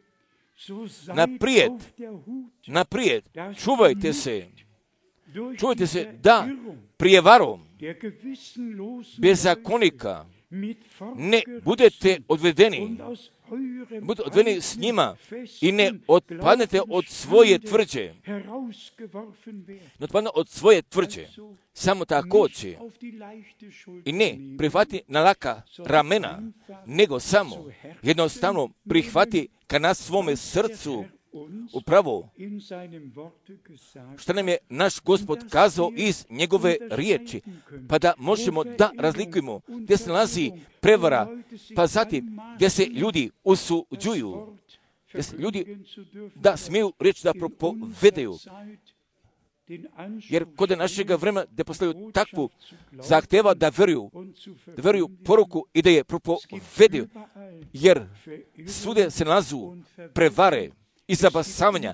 naprijed, naprijed, čuvajte se, čuvajte se da prijevarom bezakonika ne budete odvedeni, budete odvedeni s njima i ne otpadnete od svoje tvrđe. Ne otpadne od svoje tvrđe. Samo također. I ne prihvati na laka ramena, nego samo jednostavno prihvati ka na svome srcu upravo što nam je naš Gospod kazao iz njegove riječi, pa da možemo da razlikujemo gdje se nalazi prevara, pa zatim gdje se ljudi usuđuju, gdje se ljudi da smiju reći da propovedaju. Jer kod našega vremena gdje postavljaju takvu zahteva da veruju, da veruju poruku i da je propovedaju, jer svude se nalazu prevare i zabasavanja,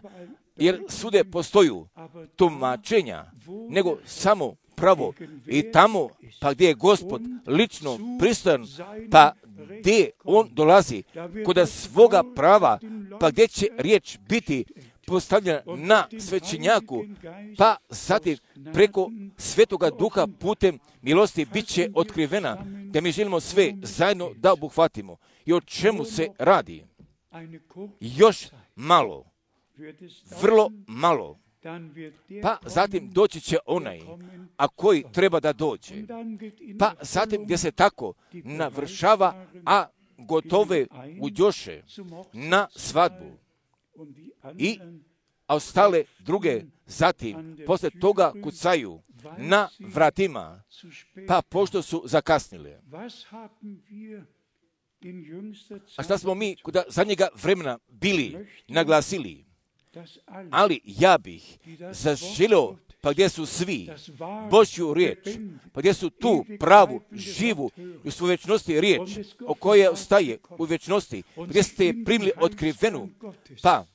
jer svude postoju tumačenja, nego samo pravo. I tamo, pa gdje je Gospod lično pristojan, pa gdje on dolazi kod svoga prava, pa gdje će riječ biti postavljena na svećenjaku, pa zatim preko Svetoga Duha putem milosti bit će otkrivena, da mi želimo sve zajedno da obuhvatimo. I o čemu se radi? Još malo, vrlo malo, pa zatim doći će onaj, a koji treba da dođe. Pa zatim gdje se tako navršava, a gotove uđoše na svadbu. I a ostale druge zatim posle toga kucaju na vratima, pa pošto su zakasnile. A šta smo mi kod zadnjega vremena bili naglasili? Ali ja bih zaželio, pa gdje su svi Božju riječ, pa gdje su tu pravu, živu i u svojoj vječnosti riječ, o kojoj ostaje u vječnosti, gdje ste je primili otkrivenu, pa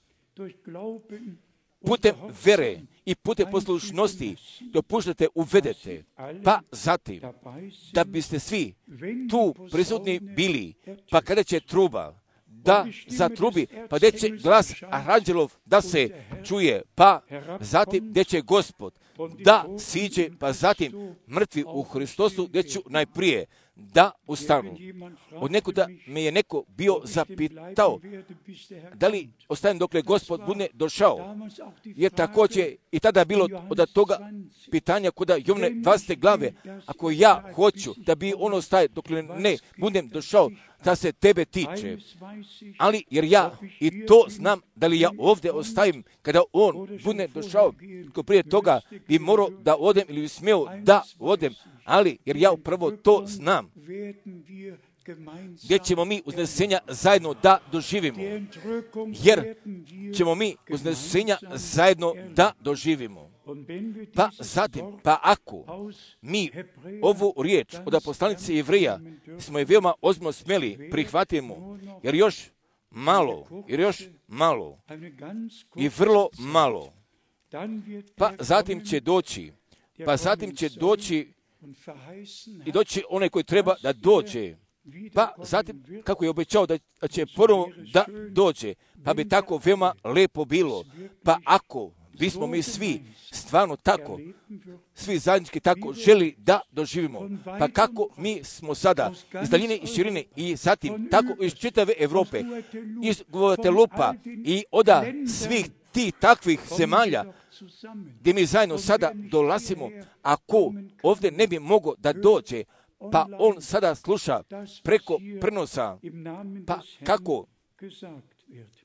putem vere i putem poslušnosti dopuštate, uvedete, pa zatim da biste svi tu prisutni bili, pa kada će truba da zatrubi, pa gdje će glas aranđelov da se čuje, pa zatim gdje će Gospod da siđe, pa zatim mrtvi u Hristosu gdje ću najprije da ustanu. Od nekuda me je neko bio zapitao da li ostajem dokle Gospod bude došao. Jer također i tada bilo od toga pitanja kod Jovne dvadesete glave, ako ja hoću da bi ono ostaje dokle ne budem došao, da se tebe tiče. Ali jer ja i to znam da li ja ovdje ostavim kada on bude došao, ko prije toga bi morao da odem ili bi smio da odem, ali jer ja upravo to znam, gdje ćemo mi uznesenja zajedno da doživimo. Jer ćemo mi uznesenja zajedno da doživimo. Pa zatim, pa ako mi ovu riječ od poslanice Jevreja smo je veoma ozbiljno smjeli prihvatimo, jer još malo, jer još malo i vrlo malo, pa zatim će doći, pa zatim će doći i doći onaj koji treba da dođe, pa zatim kako je obećao da će prvo da dođe, pa bi tako veoma lepo bilo, pa ako bismo mi svi stvarno tako, svi zajednički tako želi da doživimo. Pa kako mi smo sada iz daljine i širine i zatim tako iz čitave Europe, iz Guatelupa i oda svih tih takvih zemalja gdje mi zajedno sada dolazimo, ako ovdje ne bi mogao da dođe, pa on sada sluša preko prenosa, pa kako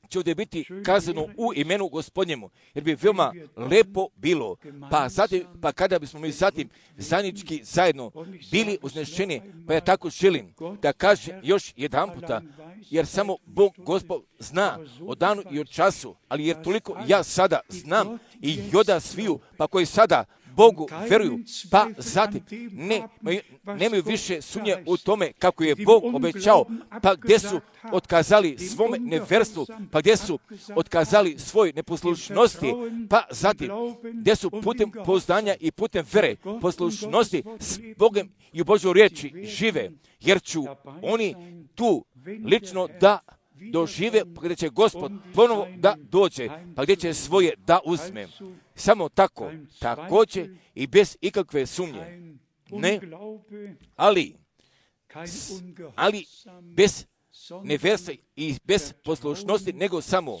će ovdje biti kazano u imenu Gospodnjemu, jer bi veoma lepo bilo, pa, zatim, pa kada bismo mi zatim zajednički zajedno bili uznešeni, pa ja tako želim da kažem još jedan puta, jer samo Bog Gospod zna o danu i o času, ali jer toliko ja sada znam i joda sviju, pa koji sada Bogu veruju, pa zatim ne, nemaju više sumnje u tome kako je Bog obećao, pa gdje su otkazali svome neverstvu, pa gdje su otkazali svoj neposlušnosti, pa zatim gdje su putem pouzdanja i putem vere poslušnosti s Bogom i u Božoj riječi žive, jer ću oni tu lično da dožive, pa gdje će Gospod ponovo da dođe, pa gdje će svoje da uzme. Samo tako, također i bez ikakve sumnje. Ne, ali, ali bez neverstva i bez poslušnosti, nego samo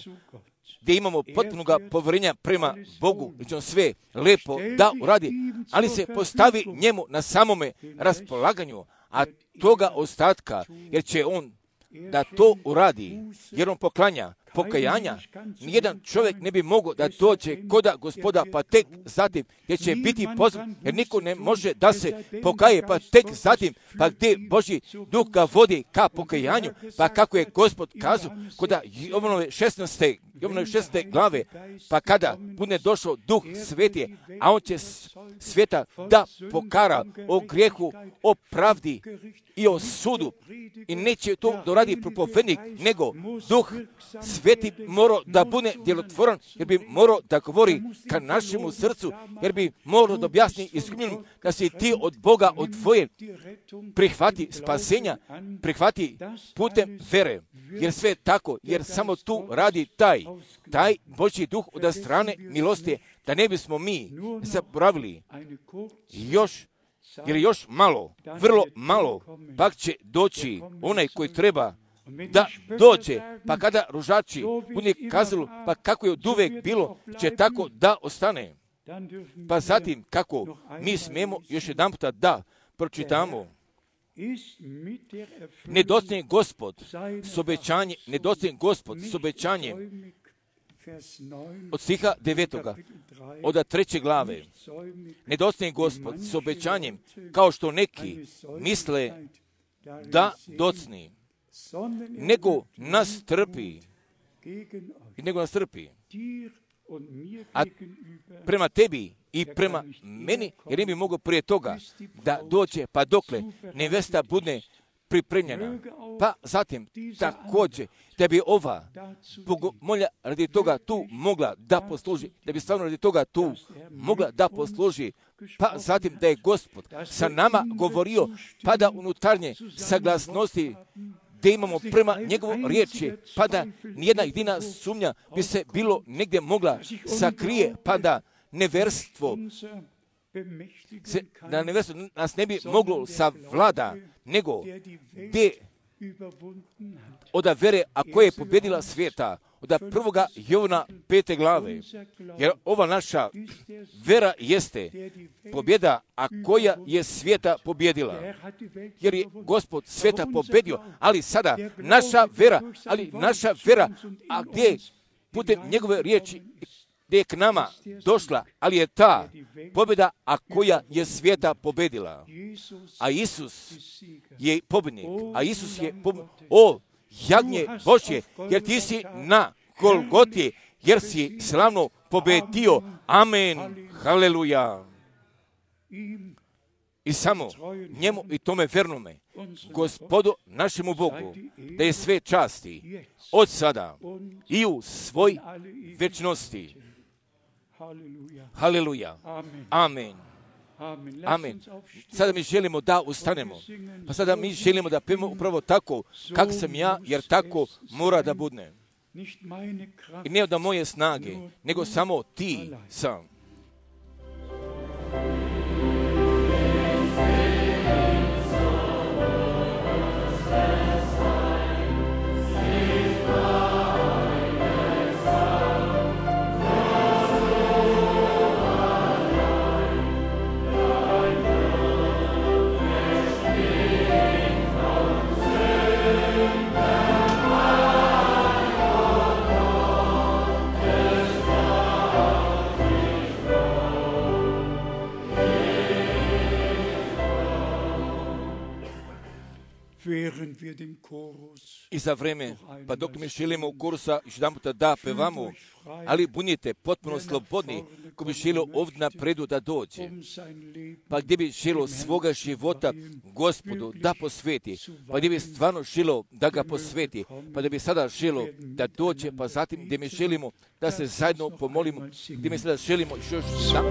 gdje imamo potpunoga povjerenja prema Bogu, gdje on sve lepo da uradi, ali se postavi njemu na samome raspolaganju, a toga ostatka, jer će on da to uradi, jer on poklanja pokajanja, nijedan čovjek ne bi mogao da dođe koda Gospoda, pa tek zatim gdje će biti pozvan, jer niko ne može da se pokaje, pa tek zatim, pa gdje Božji duh ga vodi ka pokajanju, pa kako je Gospod kazao koda Jovanove šesnaeste Jovanove šesnaeste glave, pa kada bude došao Duh Sveti, a on će svijeta da pokara o grijehu, o pravdi i o sudu, i neće to doradi propovednik, nego Duh Sveti morao da bude djelotvoran, jer bi morao da govori ka našemu srcu, jer bi morao da objasni iskupljenom da si ti od Boga odvojen, prihvati spasenja, prihvati putem vere, jer sve je tako, jer samo tu radi taj, taj Božji duh od strane milosti, da ne bismo mi zaboravili još, jer još malo, vrlo malo, pak će doći onaj koji treba da dođe, pa kada ružači bude kazalo, pa kako je od uvek bilo, će tako da ostane. Pa zatim, kako mi smijemo još jedan puta da pročitamo, nedostaje Gospod s obećanjem, nedostaje Gospod s obećanjem od stiha devetoga, od treće glave. Nedostaje Gospod s obećanjem, kao što neki misle da docni, nego nas trpi, nego nas trpi, a prema tebi i prema meni, jer ne bi mogao prije toga da dođe, pa dokle nevesta bude pripremljena. Pa zatim također da bi ova bogomolja radi toga tu mogla da posluži, da bi stvarno radi toga tu mogla da posluži, pa zatim da je Gospod sa nama govorio, pa da unutarnje saglasnosti da imamo prema njegovu riječi, pa da nijedna jedina sumnja bi se bilo negdje mogla sakrije, pa da neverstvo se, da neverstvo nas ne bi moglo savlada, nego gdje od vere, a koja je pobjedila svijeta, od prvoga Jovana pete glave, jer ova naša vera jeste pobjeda, a koja je svijeta pobjedila. Jer je Gospod svijeta pobjedio, ali sada naša vera, ali naša vera, a gdje putem njegove riječi, gdje je k nama došla, ali je ta pobjeda, a koja je svijeta pobjedila. A Isus je pobjednik, a Isus je pobjednik. O, jagnje Božje, jer ti si na Golgoti, jer si slavno pobjedio. Amen. Haleluja. I samo njemu i tome vernome, Gospodu našemu Bogu, da je sve časti od sada i u svoj večnosti. Haleluja. Amen. Amen. Sada mi želimo da ustanemo. Pa sada mi želimo da pijemo upravo tako, kak sam ja, jer tako mora da bude. I ne od moje snage, nego samo ti sam. I za vreme, pa dok mi želimo u kursa još jedan puta da pevamo, ali budite potpuno slobodni ko bi želio ovdje napredu da dođe, pa gdje bi želio svoga života Gospodu da posveti, pa gdje bi stvarno želio da ga posveti, pa da bi sada želio da dođe, pa zatim gdje mi želimo da se zajedno pomolimo, gdje mi sada želimo još da...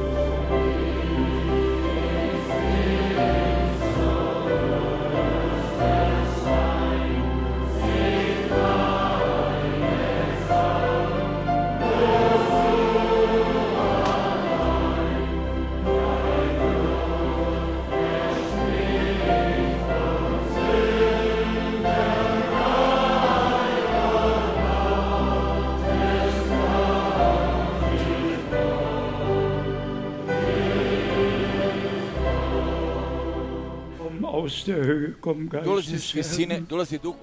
Dolazi s visine, dolazi duh.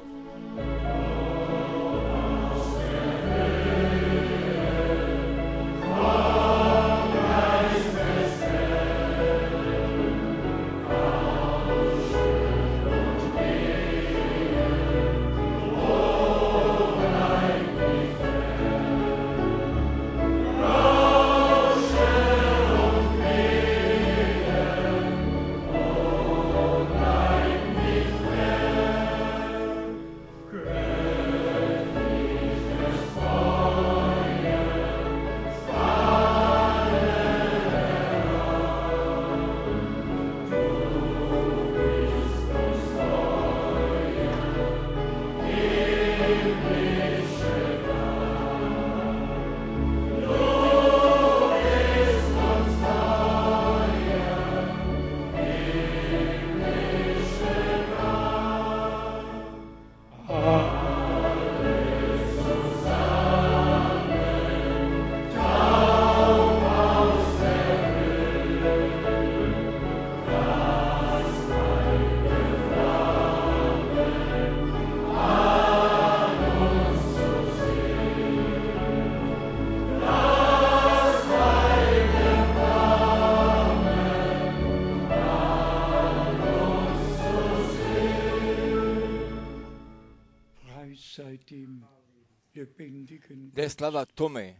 Da je slava tome,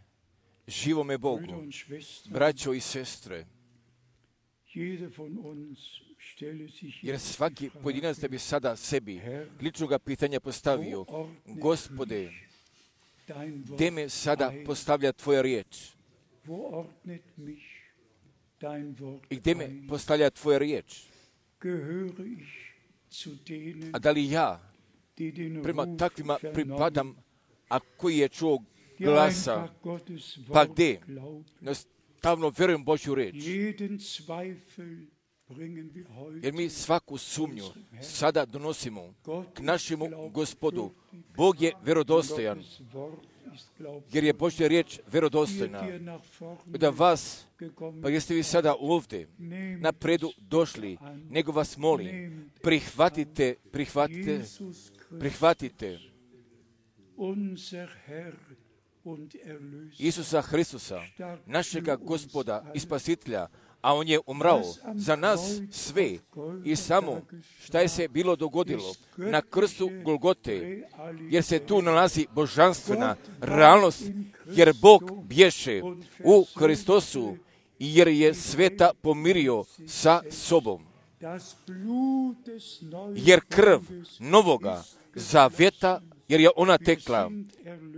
živome Bogu, braćo i sestre, jer svaki pojedinac da bi sada sebi ličnoga pitanja postavio, Gospode, gdje me sada postavlja Tvoja riječ? I gdje me postavlja Tvoja riječ? A da li ja prema takvima pripadam, a koji je čuo glasa, pa gdje? Nastavno vjerujem Božju riječ. Jer mi svaku sumnju sada donosimo k našemu Gospodu. Bog je vjerodostojan, jer je Božja riječ vjerodostojna. Da vas, pa jeste vi sada ovdje napredu došli, nego vas molim, prihvatite, prihvatite, prihvatite Isusa Hristusa, našega Gospoda i Spasitelja, a On je umrao za nas sve i samo šta je se bilo dogodilo na krstu Golgote, jer se tu nalazi božanstvena realnost, jer Bog bješe u Hristosu i jer je sveta pomirio sa sobom. Jer krv novoga zavjeta, jer je ona tekla,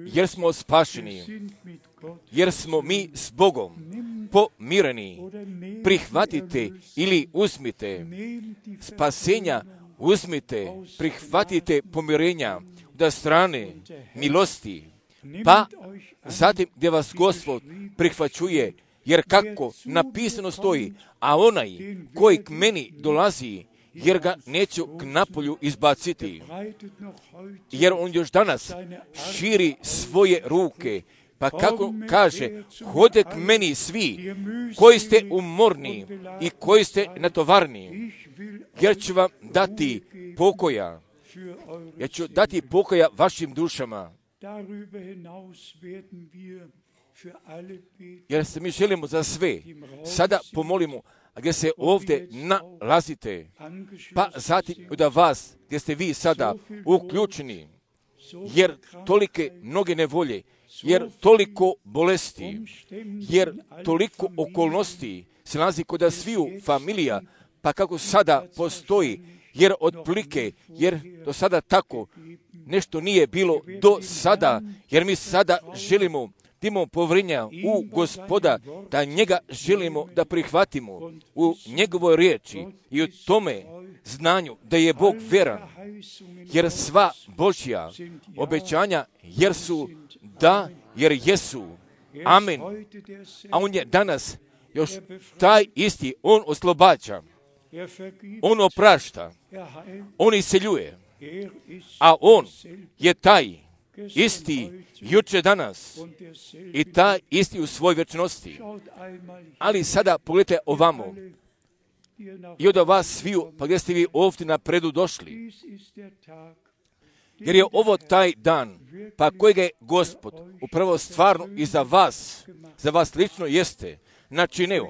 jer smo spašeni, jer smo mi s Bogom pomireni. Prihvatite ili uzmite spasenja, uzmite, prihvatite pomirenja da strane milosti, pa zatim gdje vas Gospod prihvaćuje, jer kako napisano stoji, a onaj koji k meni dolazi, jer ga neću k napolju izbaciti, jer on još danas širi svoje ruke, pa kako kaže, hode k meni svi koji ste umorni i koji ste natovarni, jer ću vam dati pokoja, jer ću dati pokoja vašim dušama. Jer se mi želimo za sve. Sada pomolimo, gdje se ovdje nalazite, pa zatim da vas, gdje ste vi sada uključeni, jer tolike mnoge nevolje, jer toliko bolesti, jer toliko okolnosti se nalazi kod sviju familija, pa kako sada postoji, jer otprilike, jer do sada tako nešto nije bilo do sada, jer mi sada želimo da imamo povjerenja u Gospoda, da njega želimo da prihvatimo u njegovoj riječi i u tome znanju da je Bog vjeran, jer sva Božja obećanja jer su da, jer jesu. Amen. A on je danas još taj isti, on oslobađa, on oprašta, on iseljuje, a on je taj isti juče danas i taj isti u svoj vječnosti. Ali sada pogledajte ovamo i od vas sviju, pa gdje ste vi ovdje napredu došli. Jer je ovo taj dan, pa kojega je Gospod upravo stvarno i za vas, za vas lično jeste načinio.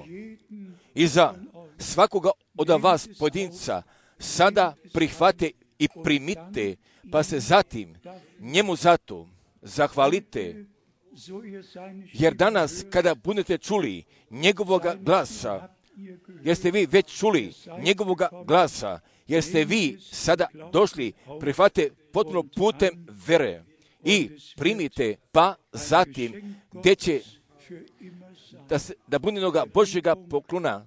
I za svakoga od vas pojedinca sada prihvate i primite, pa se zatim njemu zato zahvalite. Jer danas kada budete čuli njegovoga glasa, jer ste vi već čuli njegovoga glasa, jer ste vi sada došli, prihvate potpuno putem vere i primite, pa zatim gdje će da, se, da bunjenoga Božjega poklona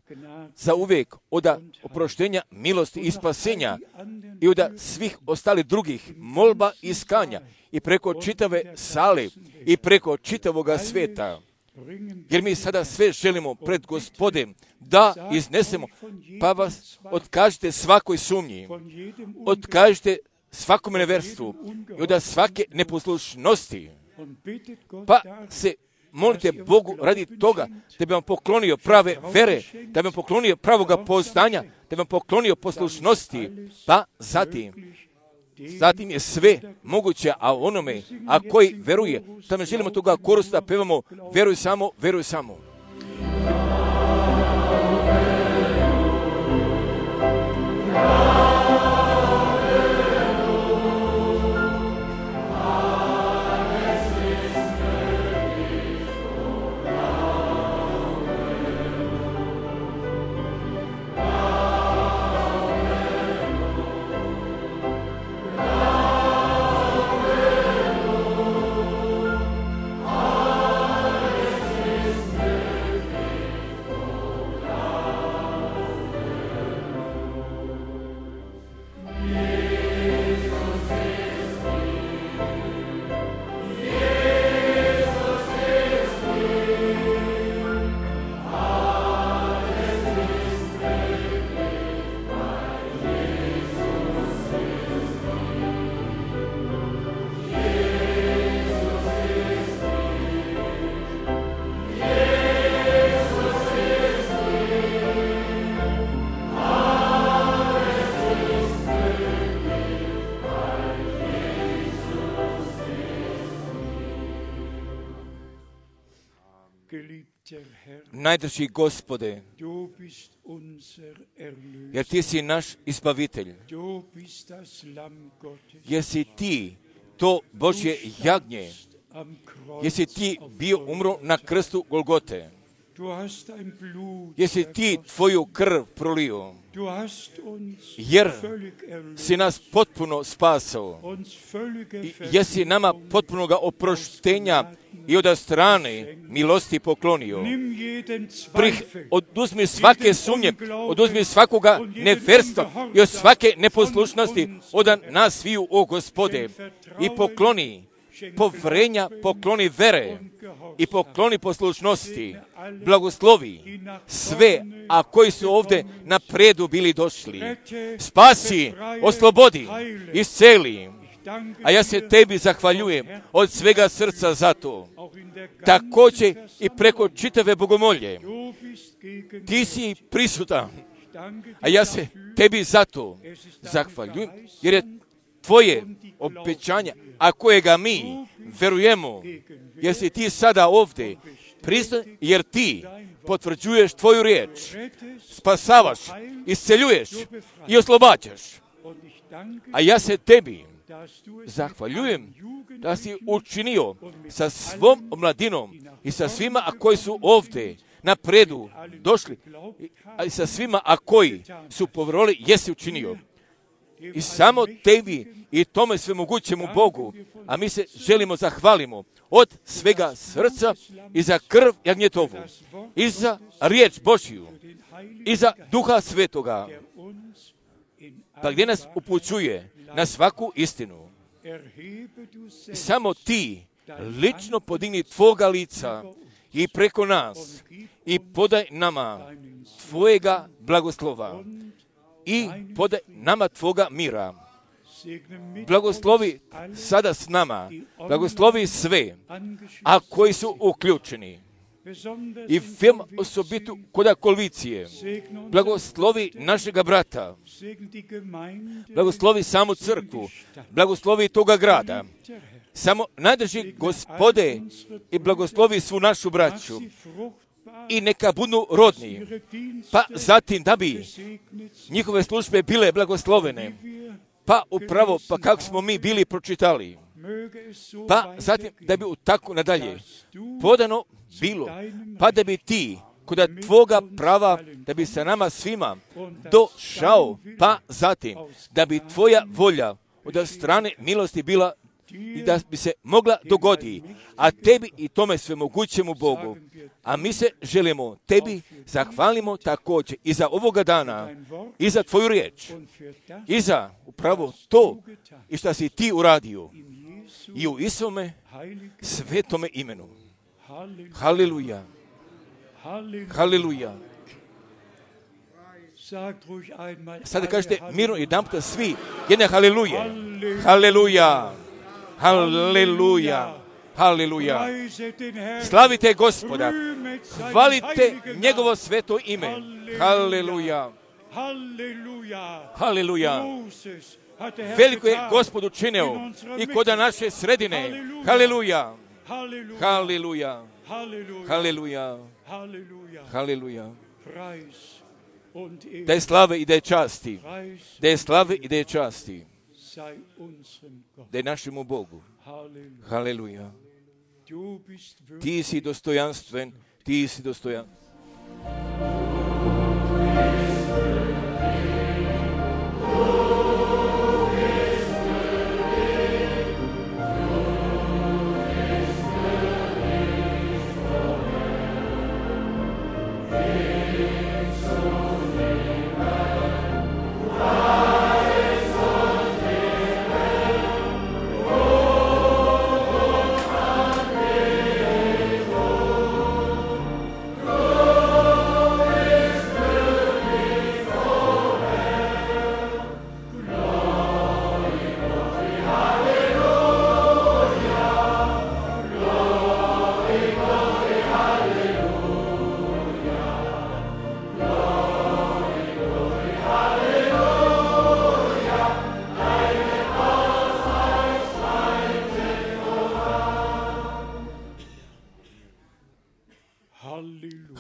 za uvijek od oproštenja, milosti i spasenja i od svih ostalih drugih molba i iskanja i preko čitave sale i preko čitavoga svijeta. Jer mi sada sve želimo pred Gospodem da iznesemo, pa vas otkažite svakoj sumnji, otkažite svakome neverstvu i od svake neposlušnosti, pa se molite Bogu radi toga da bi vam poklonio prave vere, da bi vam poklonio pravoga poznanja, da bi vam poklonio poslušnosti, pa zatim, zatim je sve moguće, a onome, a koji veruje, što ne želimo toga korusta, pevamo, veruj samo, veruj samo. Najdrži Gospode, jer Ti si naš izbavitelj, jer si Ti to Božje jagnje, jer si Ti bio umro na krstu Golgote, jer si Ti Tvoju krv prolio, jer si nas potpuno spasao, jer si nama potpunoga oproštenja i od strane milosti poklonio. Prih, oduzmi svake sumnje, oduzmi svakoga neverstva i od svake neposlušnosti od nas sviju, o Gospode, i pokloni povrenja, pokloni vere i pokloni poslušnosti, blagoslovi sve, a koji su ovdje na predu bili došli. Spasi, oslobodi, isceli. A ja se Tebi zahvaljujem od svega srca za to. Također i preko čitave bogomolje. Ti si prisutan, a ja se Tebi za to zahvaljujem, jer je Tvoje obećanja, a kojega mi verujemo, jer si Ti sada ovdje prisutan, jer Ti potvrđuješ Tvoju riječ, spasavaš, isceljuješ i oslobađaš. A ja se Tebi zahvaljujem da si učinio sa svom omladinom i sa svima, a koji su ovdje na predu došli, a i sa svima, a koji su povjerili, jesi učinio. I samo Tebi i tome svemogućemu Bogu, a mi se želimo zahvalimo od svega srca i za krv jagnjetovu, i za riječ Božju, i za Duha Svetoga, pa gdje nas upućuje na svaku istinu. Samo Ti lično podigni Tvoga lica i preko nas i podaj nama Tvojega blagoslova i podaj nama Tvoga mira. Blagoslovi sada s nama, blagoslovi sve, a koji su uključeni. I film osobitu kod kolvicije. Blagoslovi našega brata. Blagoslovi samu crkvu. Blagoslovi toga grada. Samo najdrži Gospode i blagoslovi svu našu braću. I neka budu rodni. Pa zatim da bi njihove službe bile blagoslovene. Pa upravo, pa kako smo mi bili pročitali. Pa zatim da bi tako nadalje podano bilo, pa da bi Ti kod Tvoga prava, da bi se nama svima došao, pa zatim da bi Tvoja volja od strane milosti bila i da bi se mogla dogodi, a Tebi i tome svemogućemu Bogu. A mi se želimo Tebi zahvalimo također i za ovoga dana, i za Tvoju riječ, i za upravo to i što si Ti uradio. I u Isome svetome imenu. Haleluja. Haleluja. Sada kažete mirno jedan puta svi jedne haleluje. Haleluja. Haleluja. Haleluja. Slavite Gospoda. Hvalite njegovo sveto ime. Haleluja. Haleluja. Veliko je Gospod učinio i kod naše sredine. Haleluja. Haleluja. Haleluja. Haleluja. Da je slave i da je časti. Da je slave i da je časti. Da je našemu Bogu. Haleluja. Ti si dostojanstven. Ti si dostojanstven. Oh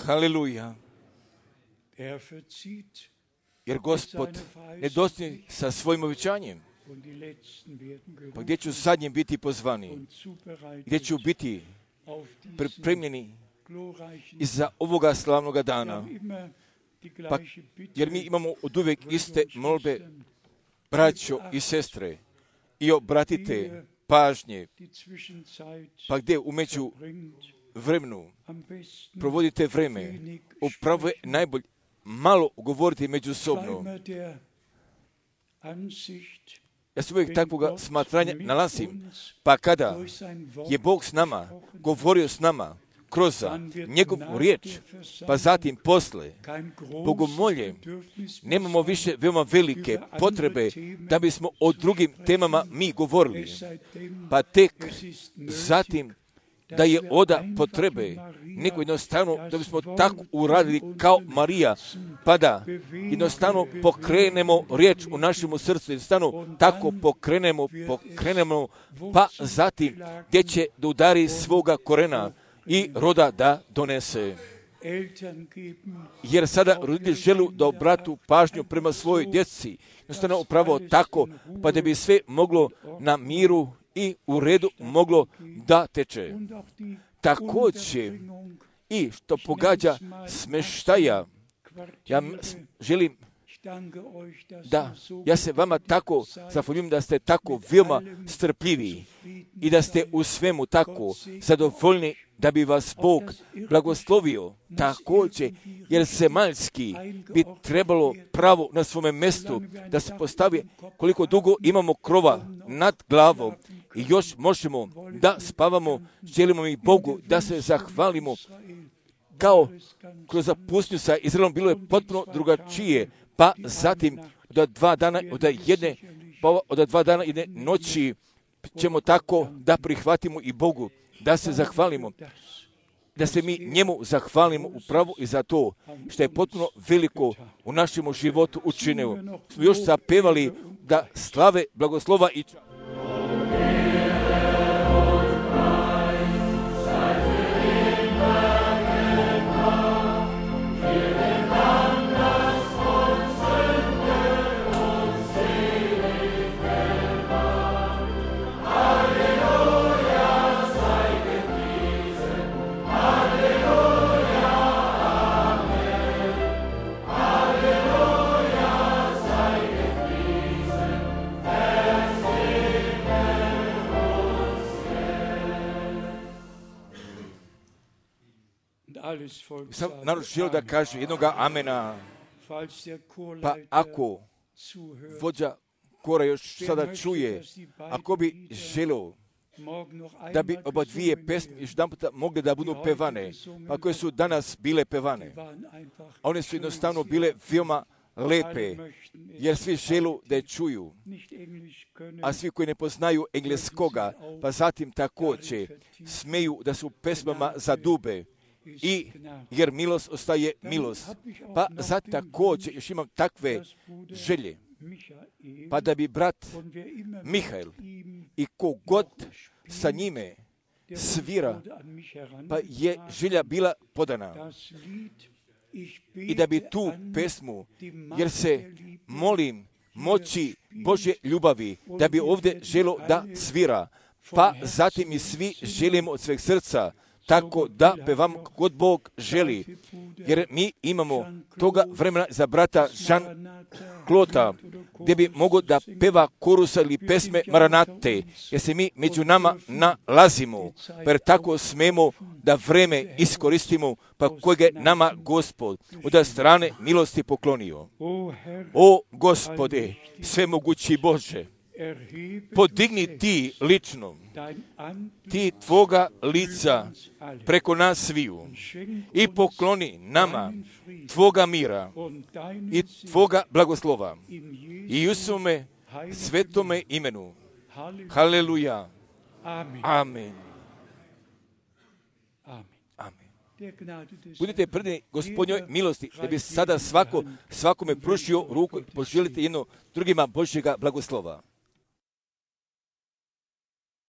Haleluja. Er verzieht Jer Gospod ne dostigne sa svojim obećanjem. und die Letzten werden Pa gdje ću gerufen zadnji biti pozvani? und zubereitet Gdje ću biti auf diesen pripremljeni glorreichen i za ovoga slavnoga Wir dana? haben immer die Pa, gleiche Bitte, jer mi imamo od uvijek iste Brüder und molbe, Schwestern, braćo i sestre, i obratite pažnje, die Zwischenzeit pa gdje umeđu verbringt, vremenu am besten provodite vreme, wenig upravo je najbolje malo govoriti međusobno. Zweimal der Ansicht, Ja se uvijek takvoga Gott smatranja mit nalazim, uns pa kada durch sein Wort je Bog s nama, govorio s nama, kroz dann wird njegovu nach riječ, der pa Versammlung zatim posle, kein großes bogomolje, Bedürfnis mehr nemamo sein, više veoma velike potrebe da bismo o drugim temama mi govorili. es seitdem Pa tek es ist nötig, zatim da je oda potrebe, nego jednostavno da bismo tako uradili kao Marija, pa da jednostavno pokrenemo riječ u našemu srcu, jednostavno tako pokrenemo, pokrenemo, pa zatim gdje će da udari svoga korena i roda da donese. Eltern geben Jer sada roditelj želi da obratu pažnju prema svojoj djeci, jednostavno upravo tako, pa da bi sve moglo na miru i u redu moglo da teče. und auch die Također Unterbringung i što pogađa smeštaja, ja m- s- želim Ich danke euch, dass da, ihr so ja se vama tako zahvaljujem da ste tako veoma strpljivi i da ste u svemu tako zadovoljni da bi vas Bog blagoslovio također, jer zemaljski bi trebalo pravo na svome mjestu da se postavi koliko dugo imamo krova nad glavom i još možemo da spavamo, želimo mi Bogu da se zahvalimo kao kroz pustinju sa Izraelom bilo je potpuno drugačije, pa zatim od dva dana, od jedne, pa od dva dana jedne noći ćemo tako da prihvatimo i Bogu, da se zahvalimo, da se mi njemu zahvalimo upravo i za to što je potpuno veliko u našem životu učinio. Smo još zapevali da slave, blagoslova i čast. alles Volk Sam sagt, narod želio da Amen. kaže jednoga amena, Falls der pa Chorleiter ako zuhört, vođa kora još wer sada möchte, čuje, dass die ako bi beiden Lieder želio morgen noch da bi einmal oba dvije gesungen pesme werden, još jedan puta mogle da budu pevane, pa koje su danas bile pevane. waren einfach One su schön, jednostavno sie bile veoma alle lepe, möchten es jer svi želu da je čuju, nicht Englisch können, a svi koji ne poznaju engleskoga, pa zatim također smeju da su pesmama za dube, i jer milost ostaje milost. Pa zatim također još imam takve želje, Michael, pa da bi brat und wer immer mit Mihael ihm i kogod sa njime der svira, wurde an mich pa je želja bila podana. das Lied, ich I da bi bete tu an pesmu, die jer Macht se der Liebe, molim moći Božje ljubavi, da bi ovdje želo da svira, pa zatim i svi želimo od sveg srca, tako da pevamo kod Bog želi, jer mi imamo toga vremena za brata Jean Klota, gdje bi mogao da peva korusa ili pesme Maranate, jer se mi među nama nalazimo, jer tako smemo da vreme iskoristimo, pa kojeg je nama Gospod od strane milosti poklonio. O Herr, O Gospode, svemogući Bože, erhebe podigni ti lično, dein Antlitz ti tvoga lica uns alle preko nas sviju schenk i uns pokloni nama deinen Frieden tvoga mira und deinen i Segen tvoga blagoslova in i Jesu u svome heiligen svetome imenu. Halleluja. Haleluja. Amen. Amen. Amen. Amen. Der Gnade des Budite predani Gospodnjoj milosti, da bi sada svako, svakome pružio ruku i poželite jedno drugima Božjega blagoslova.